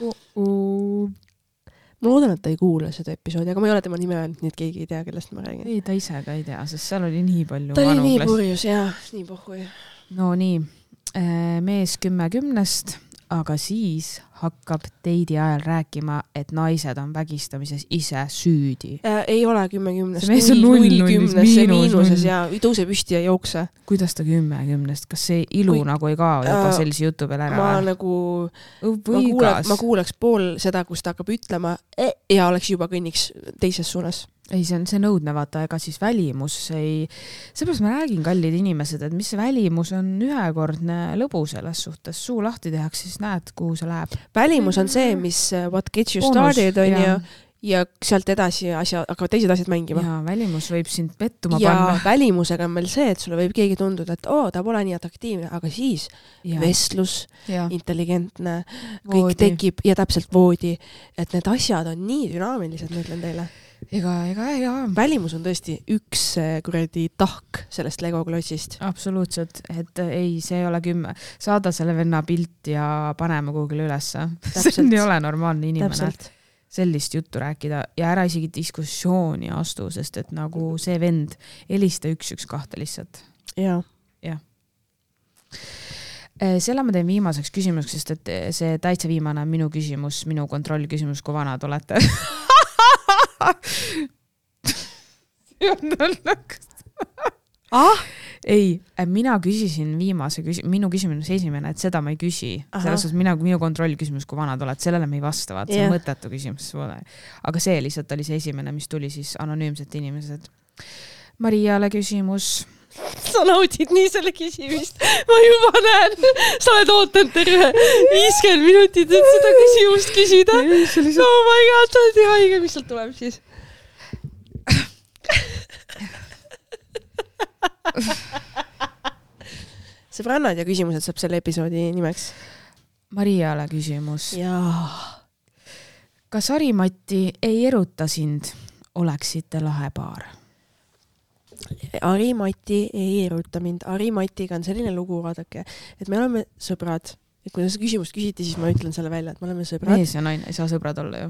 [SPEAKER 2] uh -uh.
[SPEAKER 1] Ma loodan, et ta ei kuule seda episoodi, aga ma ei ole tema nime öelnud, nii et keegi ei tea, kellest ma räägin.
[SPEAKER 2] Ei, ta ise ka ei tea, sest seal oli nii palju
[SPEAKER 1] ta oli nii purjus, jah, nii pohhu.
[SPEAKER 2] No nii, mees kümme kümnest, aga siis hakkab teidi ajal rääkima, et naised on vägistamises ise süüdi.
[SPEAKER 1] Äh, ei ole kümme kümnest.
[SPEAKER 2] See mees on null
[SPEAKER 1] kümnes, miinus, miinuses ja tõuse püsti ja jookse.
[SPEAKER 2] Kuidas ta kümme kümnest? Kas see ilu Kui, nagu ei kao juba äh, sellise jutu peal ära?
[SPEAKER 1] Ma või? nagu, ma, kuule, ma kuuleks pool seda, kus ta hakkab ütlema ja oleks juba kõnniks teises suunas.
[SPEAKER 2] Ei, see on see nõudne, vaata, ega siis välimus ei... Seepärast ma räägin, kallid inimesed, et mis see välimus on ühekordne lõbu selles suhtes. Suu lahti tehaks, siis näed, kuhu see läheb.
[SPEAKER 1] Välimus on see, mis what gets you started on ja, ja sealt edasi asja, aga teised asjad mängima.
[SPEAKER 2] Ja välimus võib sind pettuma
[SPEAKER 1] ja
[SPEAKER 2] panna.
[SPEAKER 1] Ja välimusega on meil see, et sulle võib keegi tunduda, et oo, ta pole nii atraktiivne, aga siis ja. vestlus, ja. intelligentne, kõik voodi. Tekib ja täpselt voodi, et need asjad on nii dünaamilised, ma ütlen teile.
[SPEAKER 2] Ega, ega, ega.
[SPEAKER 1] Välimus on tõesti üks kuradi tahk sellest Lego klotsist.
[SPEAKER 2] Absoluutselt, et ei, see ei ole kümme. Saada selle venna pilt ja paneme kuhugile ülesse. See ei ole normaalne inimene. Täpselt. Sellist juttu rääkida ja ära isegi diskussiooni astu, sest et nagu see vend helista üks üks kahte lihtsalt.
[SPEAKER 1] Ja.
[SPEAKER 2] Ja. Selle ma teen viimaseks küsimuseks, sest et see täitsa viimane on minu küsimus, minu kontrolli küsimus, kui vanad olete.
[SPEAKER 1] ah?
[SPEAKER 2] Ei, mina küsisin viimase küsi-, minu küsimus esimene, et seda ma ei küsi. Selles suhtes mina, minu kontrolli küsimus, kui vanad oled, sellele me ei vasta, vaat, see on mõttetu küsimus. Aga see lihtsalt oli see esimene, mis tuli siis anonüümsed inimesed. Mariale küsimus.
[SPEAKER 1] Sa naudid nii selle küsimist. Ma juba näen, sa oled ootanud terve viiskümmend minutit, et seda küsimust küsida. No my god, sa oled nii haige, mis sealt tuleb siis? Sõbrannad ja küsimused saab selle episoodi nimeks.
[SPEAKER 2] Mariale küsimus.
[SPEAKER 1] Jaa.
[SPEAKER 2] Kas Ari-Matti ei eruta sind, oleksite lahe paar?
[SPEAKER 1] Ari-Matti ei eruta mind. Ari-Mattiga on selline lugu, vaadake, et me oleme sõbrad. Et kui seda küsimust küsiti, siis ma ütlen selle välja, et me oleme sõbrad.
[SPEAKER 2] Mees ja naine ei saa sõbrad olla ju.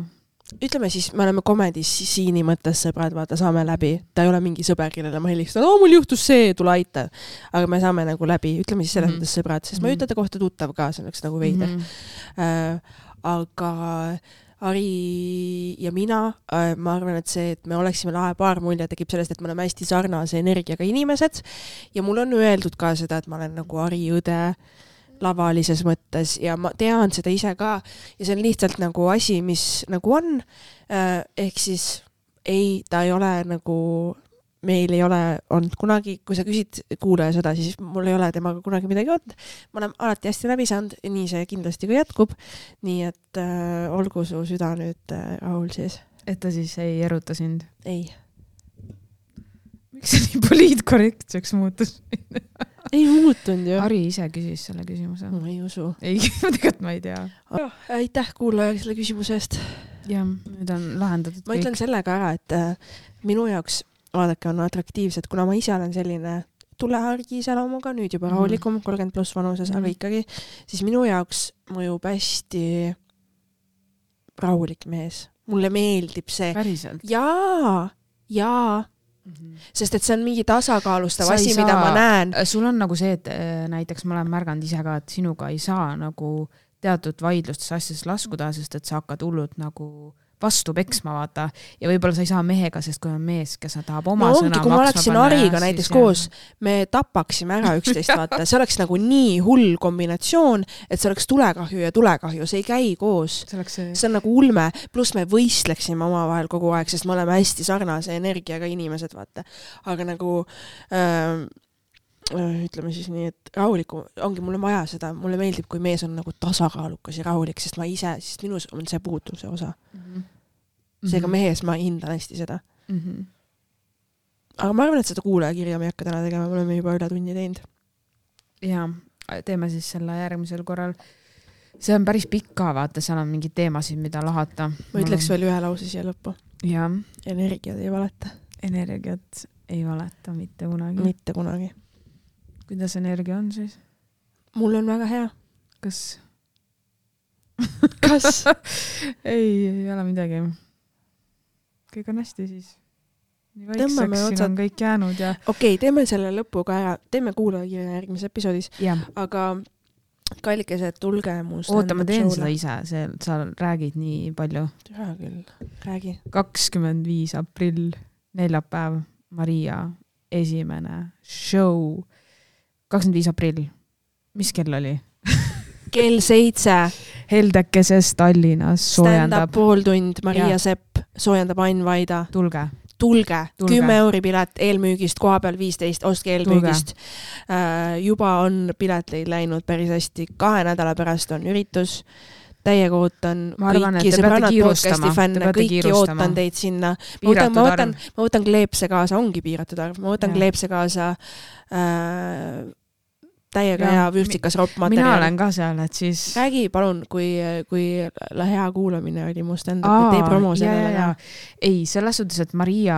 [SPEAKER 1] Ütleme siis, me oleme komedis siini mõttes sõbrad, vaata, saame läbi. Ta ei ole mingi sõber, kellele ma helistan, oo, mul juhtus see, tule aita. Aga me saame nagu läbi, ütleme siis selles mm -hmm. mõttes sõbrad, sest mm -hmm. ma ütlete kohta tuttav ka, see oleks nagu veider. Mm -hmm. äh, aga Ari ja mina, äh, ma arvan, et see, et me oleksime lahe paar mulje, tekib sellest, et me oleme hästi sarnase energiaga inimesed ja mul on öeldud ka seda, et ma olen nagu Ari õde lavalises mõttes ja ma tean seda ise ka ja see on lihtsalt nagu asi, mis nagu on, ehk siis ei, ta ei ole nagu, meil ei ole olnud kunagi, kui sa küsid kuulaja seda, siis mul ei ole temaga kunagi midagi olnud. Ma olen alati hästi läbi saanud ja nii see kindlasti ka jätkub. Nii et äh, olgu su süda nüüd äh, rahul siis.
[SPEAKER 2] Et ta siis ei eruta sind?
[SPEAKER 1] Ei.
[SPEAKER 2] miks see nii poliitkorrektseks muutus?
[SPEAKER 1] Ei muutunud ju.
[SPEAKER 2] Ari ise küsis selle küsimuse.
[SPEAKER 1] Ma ei usu.
[SPEAKER 2] Ei, tegelikult ma ei tea.
[SPEAKER 1] Oh, aitäh kuulaja selle küsimuse eest.
[SPEAKER 2] Ja, nüüd on lahendatud
[SPEAKER 1] ma kõik. Ütlen sellega ära, et äh, minu jaoks vaadake on atraktiivsed, kuna ma ise olen selline tulehargi iseloomuga, nüüd juba rahulikum, kolmkümmend pluss vanuses, mm. aga ikkagi, siis minu jaoks mõjub hästi rahulik mees. Mulle meeldib see.
[SPEAKER 2] Päriselt?
[SPEAKER 1] Jaa, jaa. Mm-hmm. Sest et see on mingi tasakaalustav asi, mida ma näen.
[SPEAKER 2] Sul on nagu see, et näiteks ma olen märganud ise ka, et sinuga ei saa nagu teatud vaidlustes asjades laskuda, sest et sa hakkad hullult nagu vastu peksma, vaata. Ja võib-olla sa ei saa mehega, sest kui on mees, kes tahab oma no, sõna maksma.
[SPEAKER 1] Kui ma oleksin Ariga näiteks koos, me tapaksime ära üksteist, vaata. See oleks nagu nii hull kombinatsioon, et see oleks tulekahju ja tulekahju. See ei käi koos. See, see... see on nagu ulme. Plus me võistleksime oma vahel kogu aeg, sest me oleme hästi sarnase energiaga inimesed, vaata. Aga nagu... Äh, ütleme siis nii, et rahuliku, ongi mulle vaja seda, mulle meeldib, kui mees on nagu tasakaalukas ja rahulik, sest ma ise, sest minus on see puutuse osa. Mm-hmm. Seega mehes ma hindan hästi seda. Mm-hmm. Aga ma arvan, et seda kuulajakirja me ei hakka täna tegema, me oleme juba üle tunni teinud.
[SPEAKER 2] Ja, teeme siis selle järgmisel korral. See on päris pikk ka, vaata, seal on mingid teemasid, mida lahata.
[SPEAKER 1] Ma ütleks veel ühe lause siia lõppu.
[SPEAKER 2] Ja.
[SPEAKER 1] Energiat ei valeta.
[SPEAKER 2] Energiat ei valeta mitte kunagi.
[SPEAKER 1] Mitte kunagi.
[SPEAKER 2] Kuidas energia on siis?
[SPEAKER 1] Mul on väga hea.
[SPEAKER 2] Kas?
[SPEAKER 1] Kas?
[SPEAKER 2] ei, ei ole midagi. Kõik on hästi siis. Nii vaikseks siin on kõik jäänud ja...
[SPEAKER 1] Okei, okay, teeme selle lõpu ka ära. Teeme kuulajakirja järgmises episoodis. Ja. Aga kallikesed, tulge muust.
[SPEAKER 2] Oota, ma teen seda ise. See, sa räägid nii palju.
[SPEAKER 1] Hea küll. Räägi.
[SPEAKER 2] kakskümmend viis aprill, neljapäev, Maria, esimene show. kakskümmend viis aprill. Mis kell oli?
[SPEAKER 1] Kell seitse.
[SPEAKER 2] Heldekeses Tallinnas soojendab.
[SPEAKER 1] Stand-up pool tund, Maria ja. Sepp, soojendab Ain Vaida.
[SPEAKER 2] Tulge.
[SPEAKER 1] Tulge. Kümme euri pilet, eelmüügist, koha peal viisteist, ostke eelmüügist. Uh, juba on piletleid läinud päris hästi. Kahe nädala pärast on üritus. Täiega ootan
[SPEAKER 2] arvan,
[SPEAKER 1] kõiki sõbrannad podcasti fänne, kõiki kiirustama. Ootan teid sinna. Ma võtan, ma, võtan, ma võtan kleepse kaasa, ongi piiratud arv, ma võtan ja. Kleepse kaasa äh, täiega ja, hea vürstikas roppmaterjal.
[SPEAKER 2] Mina olen ka seal, et siis...
[SPEAKER 1] Räägi palun, kui, kui hea kuulamine oli mu stand-up, tee promo sellele. Ja, ja.
[SPEAKER 2] Ei, selles suhtes, et Maria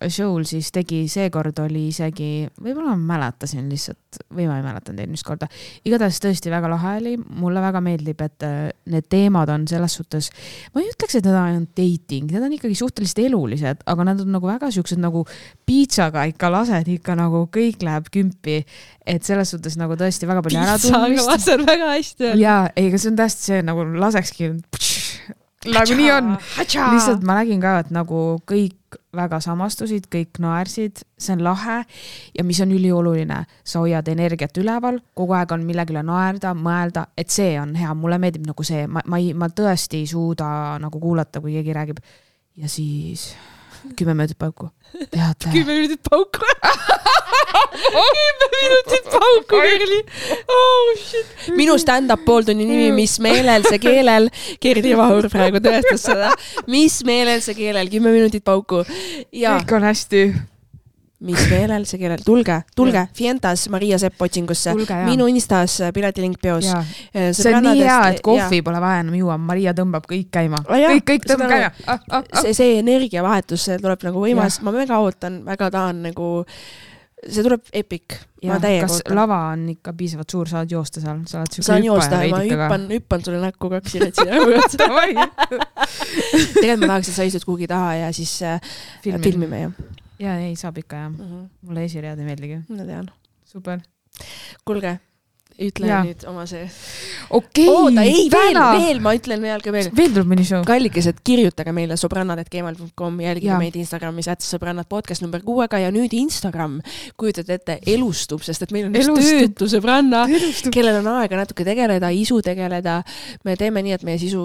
[SPEAKER 2] show'l siis tegi, seekord oli isegi, võib-olla ma mäletasin lihtsalt, või ma ei mäletan teid mis korda. Igatahes tõesti väga lahe oli, mulle väga meeldib, et need teemad on selles suhtes, ma ei ütleks, et need on dating, need on ikkagi suhteliselt elulised, aga nad on nagu väga siuksed nagu piitsaga ikka lased, ikka nagu kõik läheb kümpi, et selles suhtes nagu tõesti väga palju ära tundmist.
[SPEAKER 1] Piitsa, aga väga hästi.
[SPEAKER 2] Jaa, ei, aga see on tästi see, nagu lasekski, nagu nii on. Lihtsalt ma nägin ka, et nagu kõik väga samastusid, kõik naersid, see on lahe ja mis on ülioluline, sa hoiad energiat üleval, kogu aeg on millegile naerda, mõelda, et see on hea, mulle meeldib nagu see, ma, ma, ei, ma tõesti ei suuda nagu kuulata, kui keegi räägib ja siis kümme minutit pauku. Teate.
[SPEAKER 1] kümme minutit pauku. kümme minutit pauku, Kerli. Oh shit. Minu stand-up pooltunni nimi, mis meelel see keelel. Kerli Vahur praegu tõestas seda. Mis meelel see keelel, kümme minutit pauku. Ja.
[SPEAKER 2] Kõik on hästi.
[SPEAKER 1] Mis meelel see keelel. Tulge, tulge. Ja. Fientas Maria Sepp otsingusse. Tulge, minu Instas piletilink peos.
[SPEAKER 2] See on nii hea, et kohvi ja. Pole vaja enam juua. Maria tõmbab kõik käima. Ah, kõik, kõik tõmbab käima. Ah,
[SPEAKER 1] ah, ah. See, see energiavahetus see tuleb nagu võimas. Ja. Ma väga ootan, väga tahan nagu... See tuleb epic.
[SPEAKER 2] Ja, kas ootan. Lava on ikka piisavalt suur, saad joosta seal? Saad
[SPEAKER 1] Saan joosta, ma hüppan, hüppan sulle näkku kaks iretsi. Tegelikult ma tahaks, et sa istud kuhugi taha ja siis Filmi. filmime. Ja.
[SPEAKER 2] ja, ei, saab ikka ja. Uh-huh. Mulle esiread ei meeldigi.
[SPEAKER 1] Ma tean.
[SPEAKER 2] Super.
[SPEAKER 1] Kulge, ütle ja. Nüüd oma see.
[SPEAKER 2] Okei.
[SPEAKER 1] Oota, ei, veel, veel, ma ütlen veel ka veel.
[SPEAKER 2] Veel tuleb mõni show.
[SPEAKER 1] Kallikesed, kirjutage meile sobrannad et gmail punkt com, jälgige ja. Meid Instagramis, et sobrannad podcast number kuuega ja nüüd Instagram, kujutad ette, elustub, sest et meil on üks töötu sõbranna, kellel on aega natuke tegeleda, isu tegeleda. Me teeme nii, et meie sisu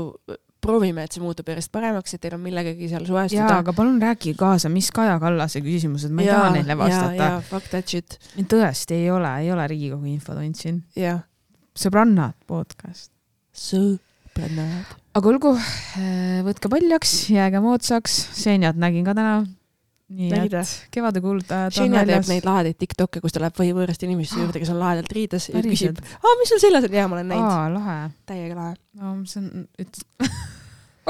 [SPEAKER 1] proovime, et see muutub järjest paremaks, et teil on millegagi seal suhestuda.
[SPEAKER 2] Jaa, aga palun räägi kaasa, mis Kaja Kallase küsimused, ma ei ja, taha neile vastata.
[SPEAKER 1] Jaa, jaa, fuck that shit.
[SPEAKER 2] Tõesti ei ole, ei ole Riigikogu infotund siin.
[SPEAKER 1] Jaa.
[SPEAKER 2] Sõbrannad podcast.
[SPEAKER 1] Sõbrannad.
[SPEAKER 2] Aga olgu, võtke paljaks, jääge moodsaks, seenjad nägin ka täna. nii et kevade kuuldajad
[SPEAKER 1] on väljas. Teeb neid lahedeid TikTokke, kus ta läheb või võõrast inimeste juurde, kes on lahedalt riides ja küsib, aa, mis sul seljas on? Jaa, ma olen näinud.
[SPEAKER 2] Aa, lahe.
[SPEAKER 1] Täiega lahe.
[SPEAKER 2] No, see on, et...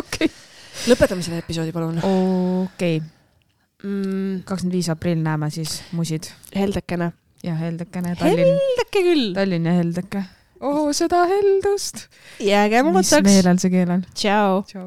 [SPEAKER 2] okei.
[SPEAKER 1] Lõpetame selle episoodi, palun.
[SPEAKER 2] Okei. Mm. kakskümmend viis aprill näeme siis musid.
[SPEAKER 1] Heldekene.
[SPEAKER 2] Ja heldekene. Tallinn.
[SPEAKER 1] Heldeke küll.
[SPEAKER 2] Tallinn ja heldeke. Oh, seda heldust.
[SPEAKER 1] Jääge mõttaks.
[SPEAKER 2] Mis meelel see keel on.
[SPEAKER 1] Ciao.
[SPEAKER 2] Ciao.